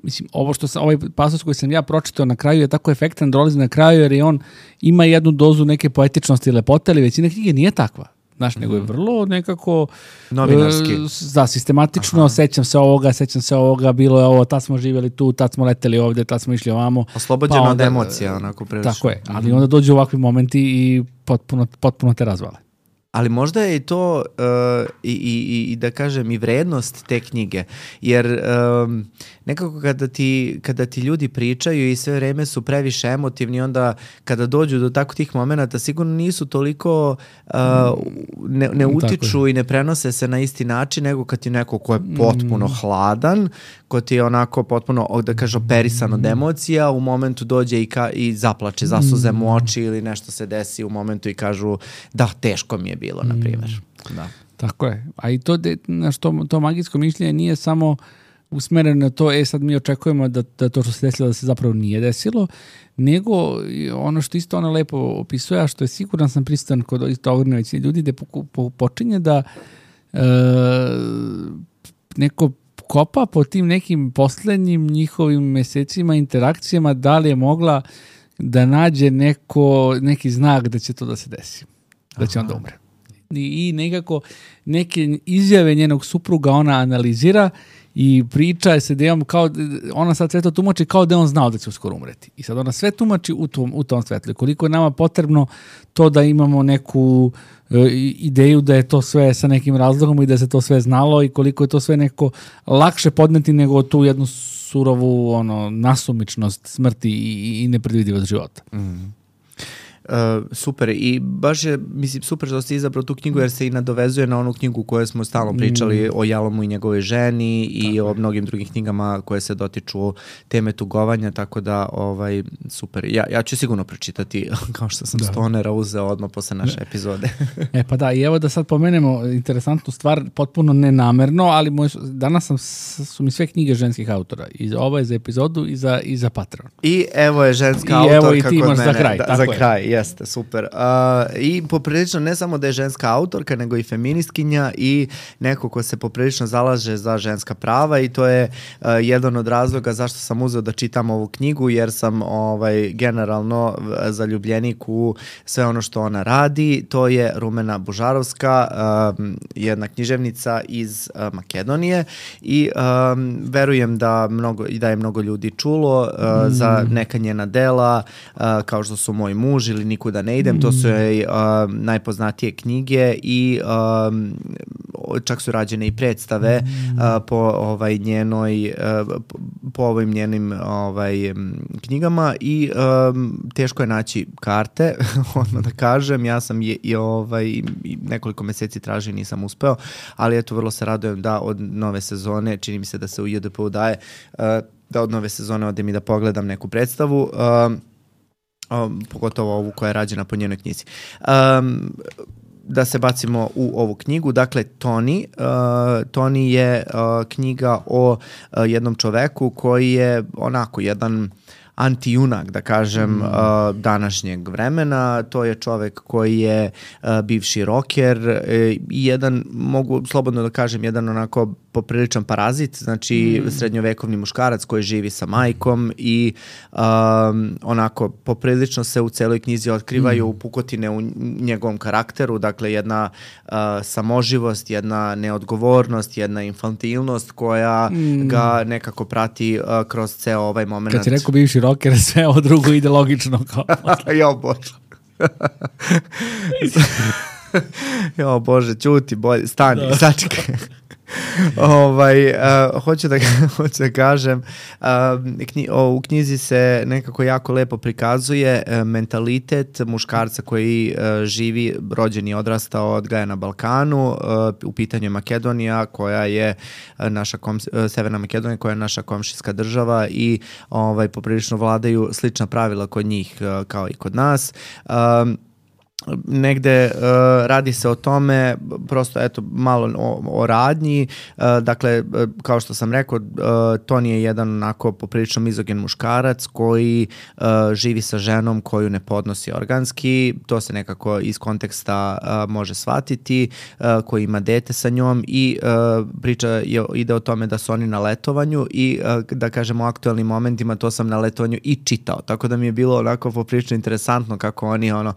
mislim, ovo što sam, ovaj pasus koji sam ja pročitao na kraju je tako efektan, dolazi na kraju jer je on ima jednu dozu neke poetičnosti i lepote, ali većina knjige nije takva. Znaš, nego je vrlo nekako
novinarski.
E, da, sistematično, Aha. sećam se ovoga, sećam se ovoga, bilo je ovo, tad smo živjeli tu, tad smo leteli ovdje, tad smo išli ovamo.
Oslobođeno pa onda, od emocija, onako prilično.
Tako je, ali onda dođu ovakvi momenti i potpuno, potpuno te razvale.
Ali možda je i to uh, i, i, i da kažem i vrednost te knjige, jer um, nekako kada ti, kada ti ljudi pričaju i sve vreme su previše emotivni, onda kada dođu do tako tih momenata sigurno nisu toliko uh, ne, ne utiču i ne prenose se na isti način nego kad ti neko ko je potpuno mm. hladan, ko ti je onako potpuno, da kažem, operisan od emocija, u momentu dođe i, ka, i zaplače, zasuze mu oči ili nešto se desi u momentu i kažu da, teško mi je bilo, na primjer. Da.
Tako je. A i to, de, na što, to magijsko mišljenje nije samo usmereno na to, e sad mi očekujemo da, da to što se desilo da se zapravo nije desilo, nego ono što isto ono lepo opisuje, a što je siguran sam prisutan kod isto ogromne većine ljudi, da po, po, počinje da e, neko kopa po tim nekim poslednjim njihovim mesecima, interakcijama, da li je mogla da nađe neko, neki znak da će to da se desi. Da će onda umre. I, i nekako neke izjave njenog supruga ona analizira i priča se da on kao, ona sad sve to tumači kao da on znao da će uskoro umreti. I sad ona sve tumači u tom, u tom svetlu. Koliko je nama potrebno to da imamo neku e, ideju da je to sve sa nekim razlogom i da se to sve znalo i koliko je to sve neko lakše podneti nego tu jednu surovu ono, nasumičnost smrti i, i nepredvidivost života.
Mm. Uh, super i baš je, mislim, super što ste izabrao tu knjigu jer se i nadovezuje na onu knjigu koju smo stalno pričali mm. o Jalomu i njegovoj ženi i tako o mnogim drugim knjigama koje se dotiču teme tugovanja, tako da ovaj, super. Ja, ja ću sigurno pročitati kao što sam da. Stonera uzeo odmah posle naše da. Epizode.
E pa da, i evo da sad pomenemo interesantnu stvar, potpuno nenamerno, ali moj, danas sam, su mi sve knjige ženskih autora. I ovo je za epizodu i za, i za Patreon.
I evo je ženska
I
autorka
evo i ti
kod mene.
Za kraj,
da, za kraj. Jeste, super. Uh, I poprilično ne samo da je ženska autorka, nego i feministkinja i neko ko se poprilično zalaže za ženska prava i to je uh, jedan od razloga zašto sam uzeo da čitam ovu knjigu, jer sam ovaj, generalno zaljubljenik u sve ono što ona radi. To je Rumena Bužarovska, uh, jedna književnica iz uh, Makedonije i um, verujem da, mnogo, da je mnogo ljudi čulo uh, mm. za neka njena dela, uh, kao što su Moj muž ili Nikuda ne idem, to su joj uh, najpoznatije knjige i um, čak su rađene i predstave uh, po ovaj njenoj uh, po ovim njenim ovaj knjigama i um, teško je naći karte, odmah da kažem, ja sam je, i ovaj nekoliko meseci tražio, nisam uspeo, ali eto vrlo se radujem da od nove sezone, čini mi se da se u J D P-u daje, uh, da od nove sezone odem i da pogledam neku predstavu. Uh, Um, pogotovo ovu koja je rađena po njenoj knjizi. Um, da se bacimo u ovu knjigu. Dakle, Toni. Uh, Toni je uh, knjiga o uh, jednom čoveku koji je onako jedan antijunak, da kažem, mm. uh, današnjeg vremena. To je čovek koji je uh, bivši roker i uh, jedan, mogu slobodno da kažem, jedan onako popriličan parazit, znači mm. srednjovekovni muškarac koji živi sa majkom i um, onako poprilično se u celoj knjizi otkrivaju mm. pukotine u njegovom karakteru, dakle jedna uh, samoživost, jedna neodgovornost, jedna infantilnost koja mm. ga nekako prati uh, kroz ceo ovaj moment.
Kad si rekao bivši rocker, sve ovo drugo ide logično kao.
Jo Bože. Jo Bože, ćuti, bolje, stani, da. Sačekaj. ovaj, uh, hoću, da, hoću da kažem, uh, knji, o, u knjizi se nekako jako lepo prikazuje uh, mentalitet muškarca koji uh, živi, rođen i odrastao, odgaja na Balkanu, uh, u pitanju je Makedonija, koja je uh, naša kom, uh, Severna Makedonija, koja je naša komšijska država i ovaj, poprilično vladaju slična pravila kod njih uh, kao i kod nas. Um, negde uh, radi se o tome, prosto eto malo o, o radnji, uh, dakle kao što sam rekao, uh, Toni je jedan onako poprilično mizogen muškarac koji uh, živi sa ženom koju ne podnosi organski, to se nekako iz konteksta uh, može shvatiti, uh, koji ima dete sa njom i uh, priča je, ide o tome da su oni na letovanju i uh, da kažemo u aktualnim momentima to sam na letovanju i čitao, tako da mi je bilo onako poprilično interesantno kako oni ono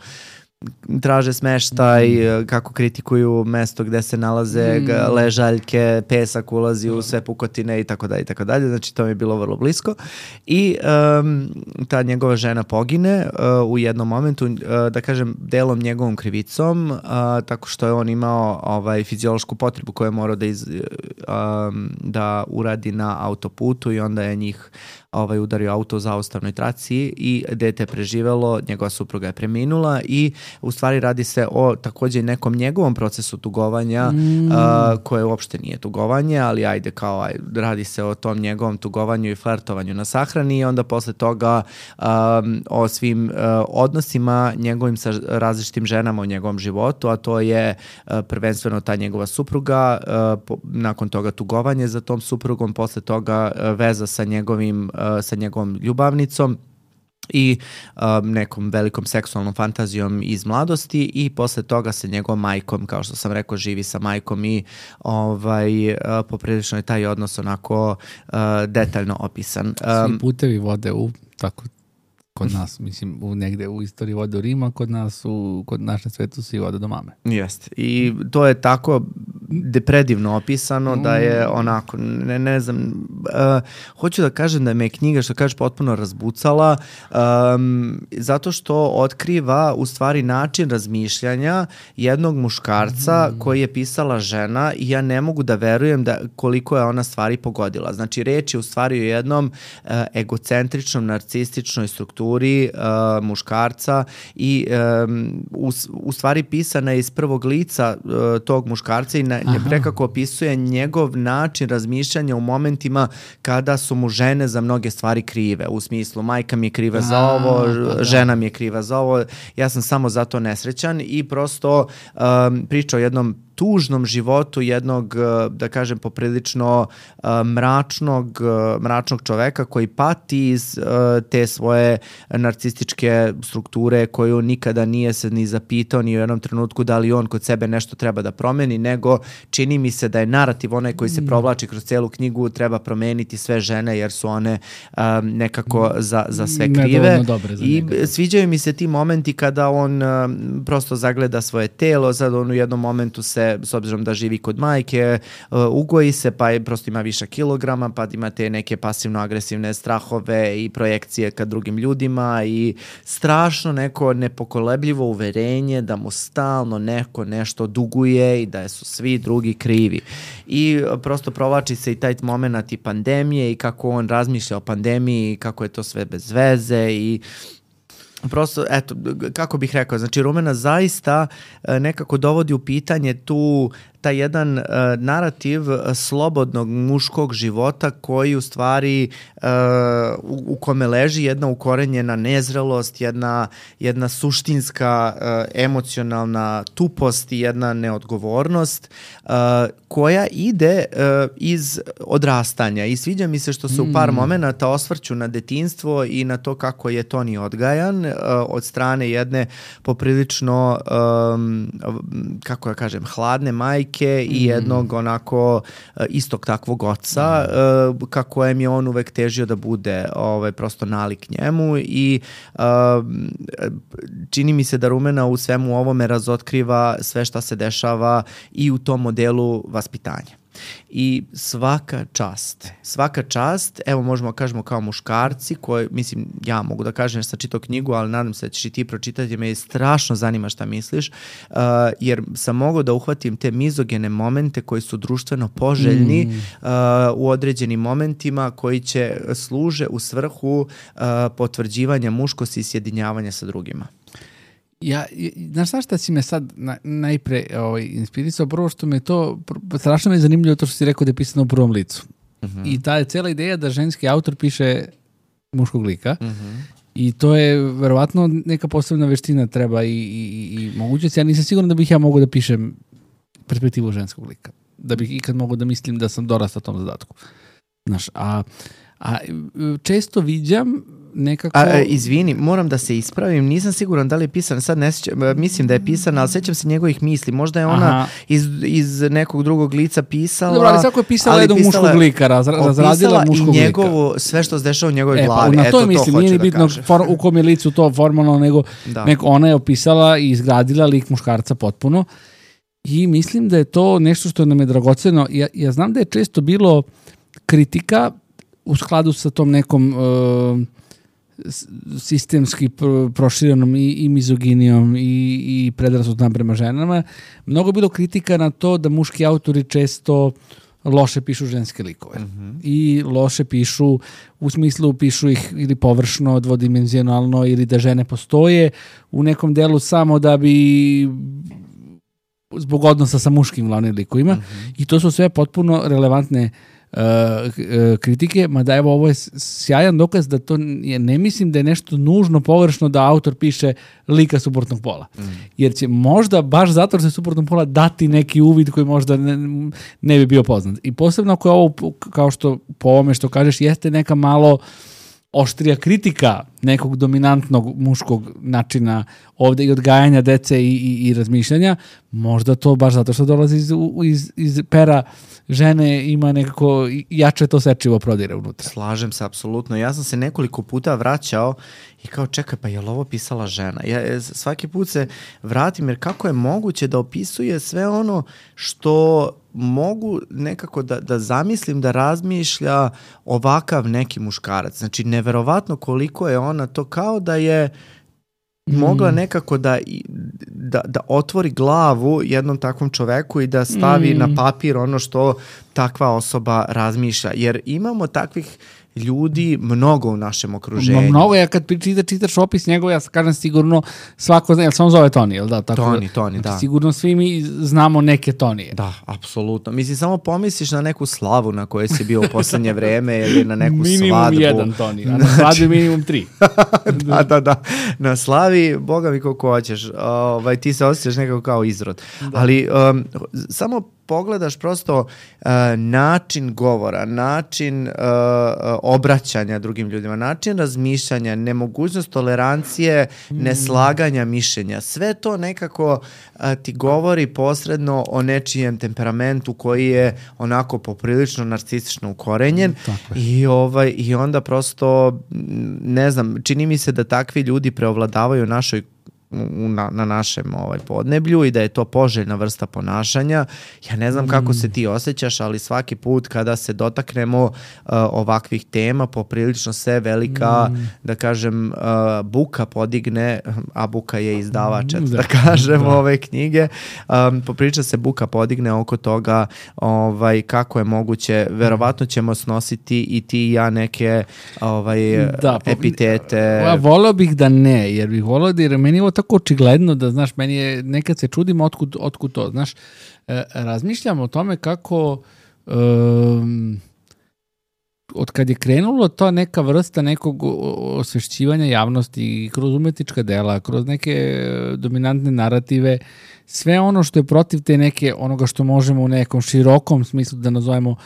traže smeštaj, kako kritikuju mesto gde se nalaze mm. ležaljke, pesak ulazi u sve pukotine i tako dalje i tako dalje. Znači to mi je bilo vrlo blisko. I um, ta njegova žena pogine uh, u jednom momentu, uh, da kažem delom njegovom krivicom, uh, tako što je on imao ovaj fiziološku potrebu koju je morao da, iz, um, da uradi na autoputu i onda je njih ovaj udario auto u zaustavnoj traci i dete je preživelo, njegova supruga je preminula i u stvari radi se o takođe nekom njegovom procesu tugovanja mm. uh, koje uopšte nije tugovanje, ali ajde kao aj, radi se o tom njegovom tugovanju i flertovanju na sahrani i onda posle toga um, o svim uh, odnosima njegovim sa različitim ženama u njegovom životu, a to je uh, prvenstveno ta njegova supruga, uh, po, nakon toga tugovanje za tom suprugom, posle toga uh, veza sa njegovim uh, sa njegovom ljubavnicom i um, nekom velikom seksualnom fantazijom iz mladosti i posle toga sa njegovom majkom, kao što sam rekao, živi sa majkom i ovaj, uh, poprilično je taj odnos onako uh, detaljno opisan. Um,
Svi putevi vode u tako kod nas, mislim, u negde u istoriji vode u Rima, kod nas, u, kod našem svetu svi vode do mame.
Jeste. I to je tako predivno opisano da je onako, ne, ne znam, uh, hoću da kažem da me je knjiga, što kažeš, potpuno razbucala, um, zato što otkriva u stvari način razmišljanja jednog muškarca mm. koji je pisala žena i ja ne mogu da verujem da koliko je ona stvari pogodila. Znači, reč je u stvari o jednom uh, egocentričnom, narcističnoj strukturi Uh, muškarca i um, u, u stvari pisana je iz prvog lica uh, tog muškarca i na, nekako opisuje njegov način razmišljanja u momentima kada su mu žene za mnoge stvari krive, u smislu majka mi je kriva za ovo, A, žena mi je kriva za ovo, ja sam samo zato nesrećan i prosto um, priča o jednom tužnom životu jednog, da kažem, poprilično uh, mračnog, uh, mračnog čoveka koji pati iz uh, te svoje narcističke strukture koju nikada nije se ni zapitao ni u jednom trenutku da li on kod sebe nešto treba da promeni, nego čini mi se da je narativ onaj koji se provlači kroz celu knjigu, treba promeniti sve žene jer su one um, nekako za, za sve krive. Za I njega. Sviđaju mi se ti momenti kada on um, prosto zagleda svoje telo, sad on u jednom momentu se s obzirom da živi kod majke, uh, ugoji se, pa je, prosto ima više kilograma, pa imate neke pasivno-agresivne strahove i projekcije ka drugim ljudima i strašno neko nepokolebljivo uverenje da mu stalno neko nešto duguje i da su svi drugi krivi. I uh, prosto provlači se i taj moment i pandemije i kako on razmišlja o pandemiji i kako je to sve bez veze i prosto, eto, kako bih rekao, znači Rumena zaista nekako dovodi u pitanje tu taj jedan uh, narativ slobodnog muškog života koji u stvari uh, u, u kome leži jedna ukorenjena nezrelost, jedna, jedna suštinska uh, emocionalna tupost i jedna neodgovornost uh, koja ide uh, iz odrastanja i sviđa mi se što se mm. u par momenata osvrću na detinjstvo i na to kako je Toni odgajan uh, od strane jedne poprilično um, kako ja kažem, hladne majke majke i jednog onako istog takvog oca, mm. kako je on uvek težio da bude ovaj, prosto nalik njemu i uh, čini mi se da Rumena u svemu ovome razotkriva sve šta se dešava i u tom modelu vaspitanja. I svaka čast, svaka čast, evo možemo da kažemo kao muškarci, koji, mislim, ja mogu da kažem jer sam čitao knjigu, ali nadam se da ćeš i ti pročitati, me strašno zanima šta misliš, uh, jer sam mogao da uhvatim te mizogene momente koji su društveno poželjni mm. uh, u određenim momentima koji će služe u svrhu uh, potvrđivanja muškosti i sjedinjavanja sa drugima.
Ja, znaš šta šta si me sad na, najpre ovaj, inspirisao, prvo što me to, strašno me je zanimljivo to što si rekao da je pisano u prvom licu. Uh-huh. I ta je cijela ideja da ženski autor piše muškog lika uh-huh. i to je verovatno neka posebna veština treba i, i, i mogućnost. Ja nisam siguran da bih ja mogao da pišem perspektivu ženskog lika. Da bih ikad mogao da mislim da sam dorastao tom zadatku. Znaš, a, a često viđam nekako...
A, izvini, moram da se ispravim, nisam siguran da li je pisan, sad ne sjećam, mislim da je pisan, ali sećam se njegovih misli, možda je ona iz, iz nekog drugog lica pisala...
Dobro, ali svako je pisala jednog muškog lika, raz, razradila muškog lika.
I njegovu, sve što se dešava u njegovoj
e,
glavi,
pa, na to
eto to
mislim,
hoću
nije
da
bitno for, u kom je licu to formalno, nego, nego ona je opisala i izgradila lik muškarca potpuno i mislim da je to nešto što nam je dragoceno. Ja, ja znam da je često bilo kritika u skladu sa tom nekom... Uh, sistemski proširenom i, i mizoginijom i, i predrasudom prema ženama. Mnogo je bilo kritika na to da muški autori često loše pišu ženske likove. Mm-hmm. I loše pišu, u smislu pišu ih ili površno, dvodimenzionalno ili da žene postoje u nekom delu samo da bi zbog odnosa sa muškim glavnim likovima. Mm-hmm. I to su sve potpuno relevantne Uh, uh, kritike, mada evo ovo je sjajan dokaz da to je, ne mislim da je nešto nužno pogrešno da autor piše lika suprotnog pola. Mm. Jer će možda baš zato što je suprotnog pola dati neki uvid koji možda ne, ne bi bio poznat. I posebno ako je ovo, kao što po ovome što kažeš, jeste neka malo oštrija kritika nekog dominantnog muškog načina ovde i odgajanja dece i, i, i razmišljanja, možda to baš zato što dolazi iz, iz, iz pera žene ima nekako jače to sečivo prodire unutra.
Slažem se, apsolutno. Ja sam se nekoliko puta vraćao i kao čekaj, pa je li ovo pisala žena? Ja svaki put se vratim jer kako je moguće da opisuje sve ono što mogu nekako da, da zamislim da razmišlja ovakav neki muškarac. Znači, neverovatno koliko je ona to kao da je mogla nekako da, da, da otvori glavu jednom takvom čoveku i da stavi mm. na papir ono što takva osoba razmišlja. Jer imamo takvih ljudi mnogo u našem okruženju.
Mnogo, ja kad čita, čitaš opis njegov, ja kažem sigurno svako zna, jel se on zove Toni, jel da? Tako,
Toni, Toni, da.
Sigurno svi mi znamo neke Tonije.
Da, apsolutno. Mislim, samo pomisliš na neku slavu na kojoj si bio u poslednje vreme ili na neku
minimum
svadbu.
Minimum jedan Toni, a na svadbi minimum tri.
da, da, da. Na slavi, boga mi koliko hoćeš, ovaj, ti se osjećaš nekako kao izrod. Da. Ali um, samo pogledaš prosto uh, način govora, način uh, obraćanja drugim ljudima, način razmišljanja, nemogućnost tolerancije, mm. neslaganja mišljenja. Sve to nekako uh, ti govori posredno o nečijem temperamentu koji je onako poprilično narcistično ukorenjen mm, i, ovaj, i onda prosto, ne znam, čini mi se da takvi ljudi preovladavaju u našoj Na, na našem ovaj, podneblju i da je to poželjna vrsta ponašanja. Ja ne znam kako se ti osjećaš, ali svaki put kada se dotaknemo uh, ovakvih tema, poprilično se velika, mm. da kažem, uh, buka podigne, a buka je izdavač, da, da kažem, da. ove knjige. Um, poprilično se buka podigne oko toga ovaj, kako je moguće. Verovatno ćemo snositi i ti i ja neke ovaj, da, epitete.
Ja, voleo bih da ne, jer bih voleo da jer meni je ovo tako očigledno da, znaš, meni je, nekad se čudim otkud, otkud to, znaš, e, razmišljam o tome kako um, od kad je krenulo to neka vrsta nekog osvešćivanja javnosti kroz umetnička dela, kroz neke dominantne narative, sve ono što je protiv te neke, onoga što možemo u nekom širokom smislu da nazovemo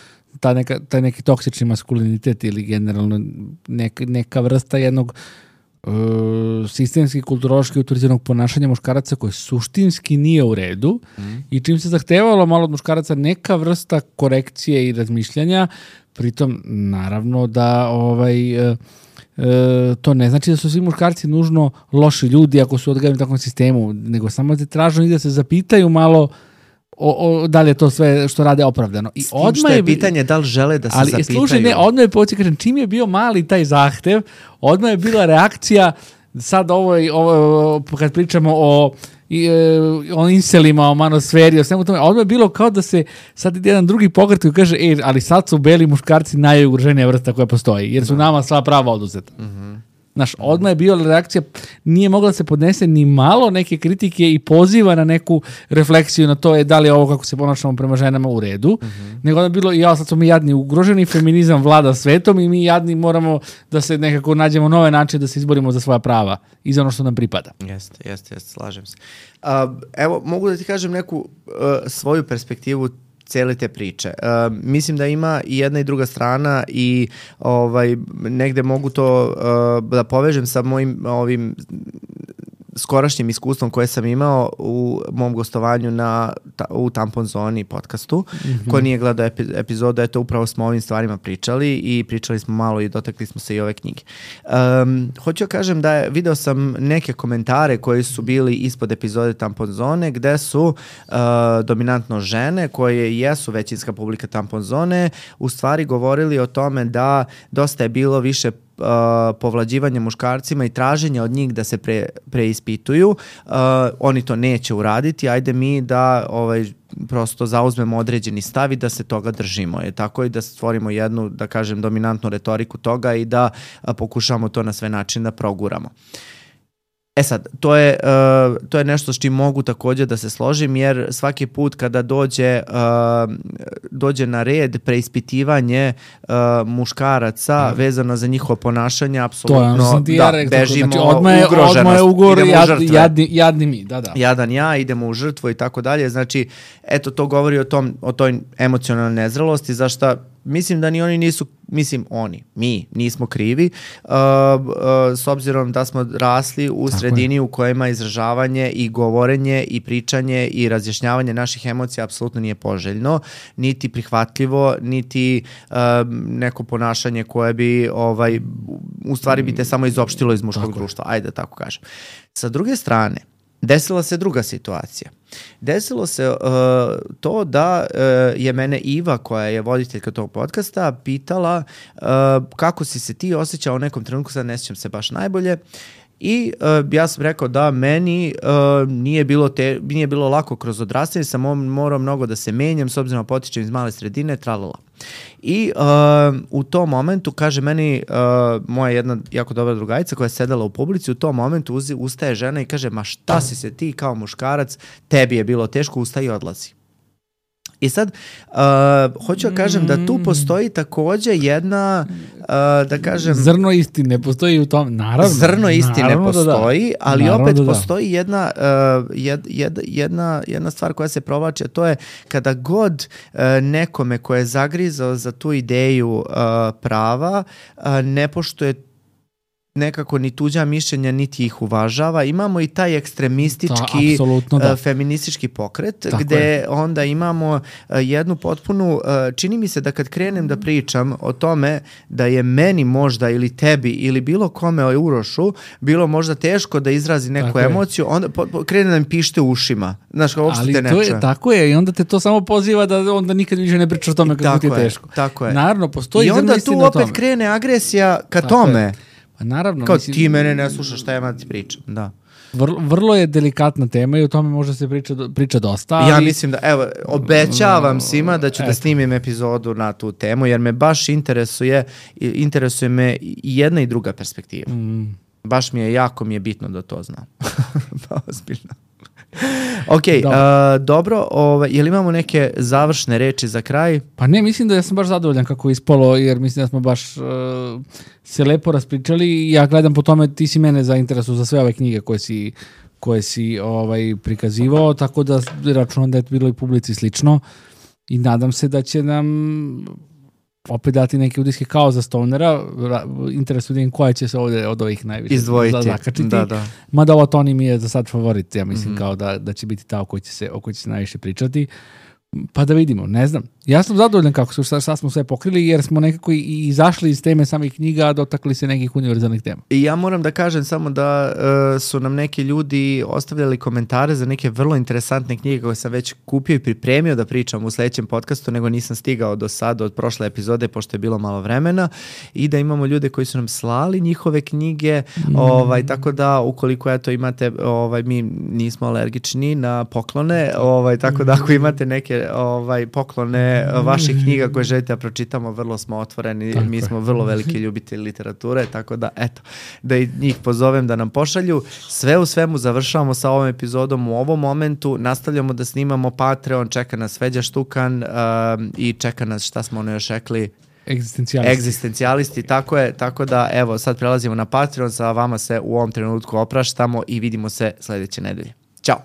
ta neka, taj neki toksični maskulinitet ili generalno neka, neka vrsta jednog uh, sistemski kulturološki autoriziranog ponašanja muškaraca koje suštinski nije u redu mm. i čim se zahtevalo malo od muškaraca neka vrsta korekcije i razmišljanja, pritom naravno da ovaj... Uh, E, to ne znači da su svi muškarci nužno loši ljudi ako su odgajani u takvom sistemu, nego samo da tražno i da se zapitaju malo o, o, da li je to sve što rade opravdano. I
s tim što je, je pitanje da li žele da se
ali,
zapitaju.
Ali slušaj, ne, odmah je poći, kažem, čim je bio mali taj zahtev, odmah je bila reakcija, sad ovo, ovo kad pričamo o i, e, o inselima, o manosferi, o svemu tome, odmah je bilo kao da se sad ide jedan drugi pokret koji kaže, e, ali sad su beli muškarci najugroženija vrsta koja postoji, jer su da. nama sva prava oduzeta. Mm-hmm. Znaš, odmah je bila reakcija, nije mogla se podnese ni malo neke kritike i poziva na neku refleksiju na to je da li je ovo kako se ponašamo prema ženama u redu, mm-hmm. nego onda je bilo, ja sad smo mi jadni ugroženi, feminizam vlada svetom i mi jadni moramo da se nekako nađemo nove načine da se izborimo za svoja prava i za ono što nam pripada.
Jeste, jeste, jeste, slažem se. Uh, evo, mogu da ti kažem neku uh, svoju perspektivu cijele te priče. Uh, mislim da ima i jedna i druga strana i ovaj negde mogu to uh, da povežem sa mojim ovim skorašnjim iskustvom koje sam imao u mom gostovanju na, ta, u Tampon Zoni podcastu. Mm-hmm. Ko nije gledao epi, epizodu, eto upravo smo o ovim stvarima pričali i pričali smo malo i dotakli smo se i ove knjige. Um, hoću da kažem da je, video sam neke komentare koji su bili ispod epizode Tampon Zone gde su uh, dominantno žene koje jesu većinska publika Tampon Zone u stvari govorili o tome da dosta je bilo više Uh, povlađivanje muškarcima i traženje od njih da se pre, preispituju. Uh, oni to neće uraditi, ajde mi da ovaj, prosto zauzmemo određeni stav i da se toga držimo. Je tako i da stvorimo jednu, da kažem, dominantnu retoriku toga i da uh, pokušamo to na sve načine da proguramo. E sad, to je, uh, to je nešto s čim mogu također da se složim, jer svaki put kada dođe, uh, dođe na red preispitivanje uh, muškaraca mm. vezano za njihovo ponašanje, apsolutno da, ja rekao, bežimo znači,
odmah je,
ugroženost.
Odmah je ugor, jad, jadni, jadni mi, da, da.
Jadan ja, idemo u žrtvu i tako dalje. Znači, eto, to govori o, tom, o toj emocionalnoj nezrelosti, zašto mislim da ni oni nisu, mislim oni, mi nismo krivi, uh, uh, s obzirom da smo rasli u Tako sredini je. u kojima izražavanje i govorenje i pričanje i razjašnjavanje naših emocija apsolutno nije poželjno, niti prihvatljivo, niti uh, neko ponašanje koje bi ovaj, u stvari bi te samo izopštilo iz muškog tako društva, ajde da tako kažem. Sa druge strane, desila se druga situacija. Desilo se uh, to da uh, je mene Iva, koja je voditeljka tog podcasta, pitala uh, kako si se ti osjećao u nekom trenutku, sad ne sjećam se baš najbolje, i uh, ja sam rekao da meni uh, nije, bilo te, nije bilo lako kroz odrastanje, sam morao mnogo da se menjam, s obzirom da potičem iz male sredine, tralala. I uh, u tom momentu, kaže meni uh, moja jedna jako dobra drugarica koja je sedela u publici, u tom momentu uzi, ustaje žena i kaže, ma šta si se ti kao muškarac, tebi je bilo teško, ustaje i odlazi. I sad, uh, hoću da kažem da tu postoji takođe jedna, uh, da kažem...
Zrno istine postoji u tom, naravno.
Zrno istine postoji, da. ali
naravno
opet
da da.
postoji jedna, uh, jed, jed, jedna, jedna stvar koja se provlači, a to je kada god uh, nekome ko je zagrizao za tu ideju uh, prava, uh, ne poštuje nekako ni tuđa mišljenja, niti ih uvažava. Imamo i taj ekstremistički
da, da.
uh, feministički pokret,
Tako
gde
je.
onda imamo uh, jednu potpunu, uh, čini mi se da kad krenem da pričam o tome da je meni možda ili tebi ili bilo kome o Urošu bilo možda teško da izrazi neku tako emociju, je. onda po, po, krene da mi pište u ušima. Znaš, kao uopšte te ne čuje.
Je, tako je, i onda te to samo poziva da onda nikad više ne pričaš o tome kako ti je teško.
Tako je.
Naravno, postoji
i onda tu opet krene agresija ka tako tome. Je.
Pa naravno,
kao mislim, ti mene ne slušaš, šta ja ima da ti pričam, da.
Vrlo, vrlo je delikatna tema i o tome može se priča, priča dosta. Ali...
Ja mislim da, evo, obećavam svima da ću Eto. da snimim epizodu na tu temu, jer me baš interesuje, interesuje me i jedna i druga perspektiva. Mm. Baš mi je, jako mi je bitno da to znam. Pa ozbiljno. Ok, dobro, uh, dobro ovaj, je li imamo neke završne reči za kraj?
Pa ne, mislim da ja sam baš zadovoljan kako je ispalo, jer mislim da smo baš uh, se lepo raspričali i ja gledam po tome, ti si mene zainteresuo za sve ove knjige koje si, koje si ovaj, prikazivao, tako da računam da je bilo i publici slično i nadam se da će nam opet dati neke utiske kao za stonera, interesujem koja će se ovde od ovih najviše
izdvojiti.
Zakačiti.
Da, da.
Mada ovo Toni mi je za sad favorit, ja mislim
Mhm.
kao da, da će biti ta o kojoj će se, o kojoj će se najviše pričati. Pa da vidimo, ne znam. Ja sam zadovoljan kako su, šta, šta smo sve pokrili, jer smo nekako i izašli iz teme samih knjiga, a dotakli se nekih univerzalnih tema.
I ja moram da kažem samo da uh, su nam neki ljudi ostavljali komentare za neke vrlo interesantne knjige koje sam već kupio i pripremio da pričam u sledećem podcastu, nego nisam stigao do sada od prošle epizode, pošto je bilo malo vremena, i da imamo ljude koji su nam slali njihove knjige, mm. ovaj, tako da ukoliko eto imate, ovaj, mi nismo alergični na poklone, ovaj, tako da ako imate neke ovaj, poklone vaših knjiga koje želite da pročitamo, vrlo smo otvoreni, tako mi smo vrlo veliki ljubitelji literature, tako da eto, da i njih pozovem da nam pošalju. Sve u svemu završavamo sa ovom epizodom u ovom momentu, nastavljamo da snimamo Patreon, čeka nas Feđa Štukan um, i čeka nas, šta smo ono još rekli,
Egzistencijalisti.
Egzistencijalisti, tako je, tako da evo sad prelazimo na Patreon, sa vama se u ovom trenutku opraštamo i vidimo se sledeće nedelje. Ćao!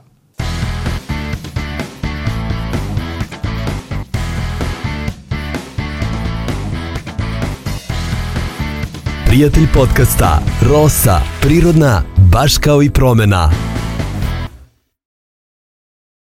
Prijatelj podcasta Rosa, prirodna, baš kao i promena.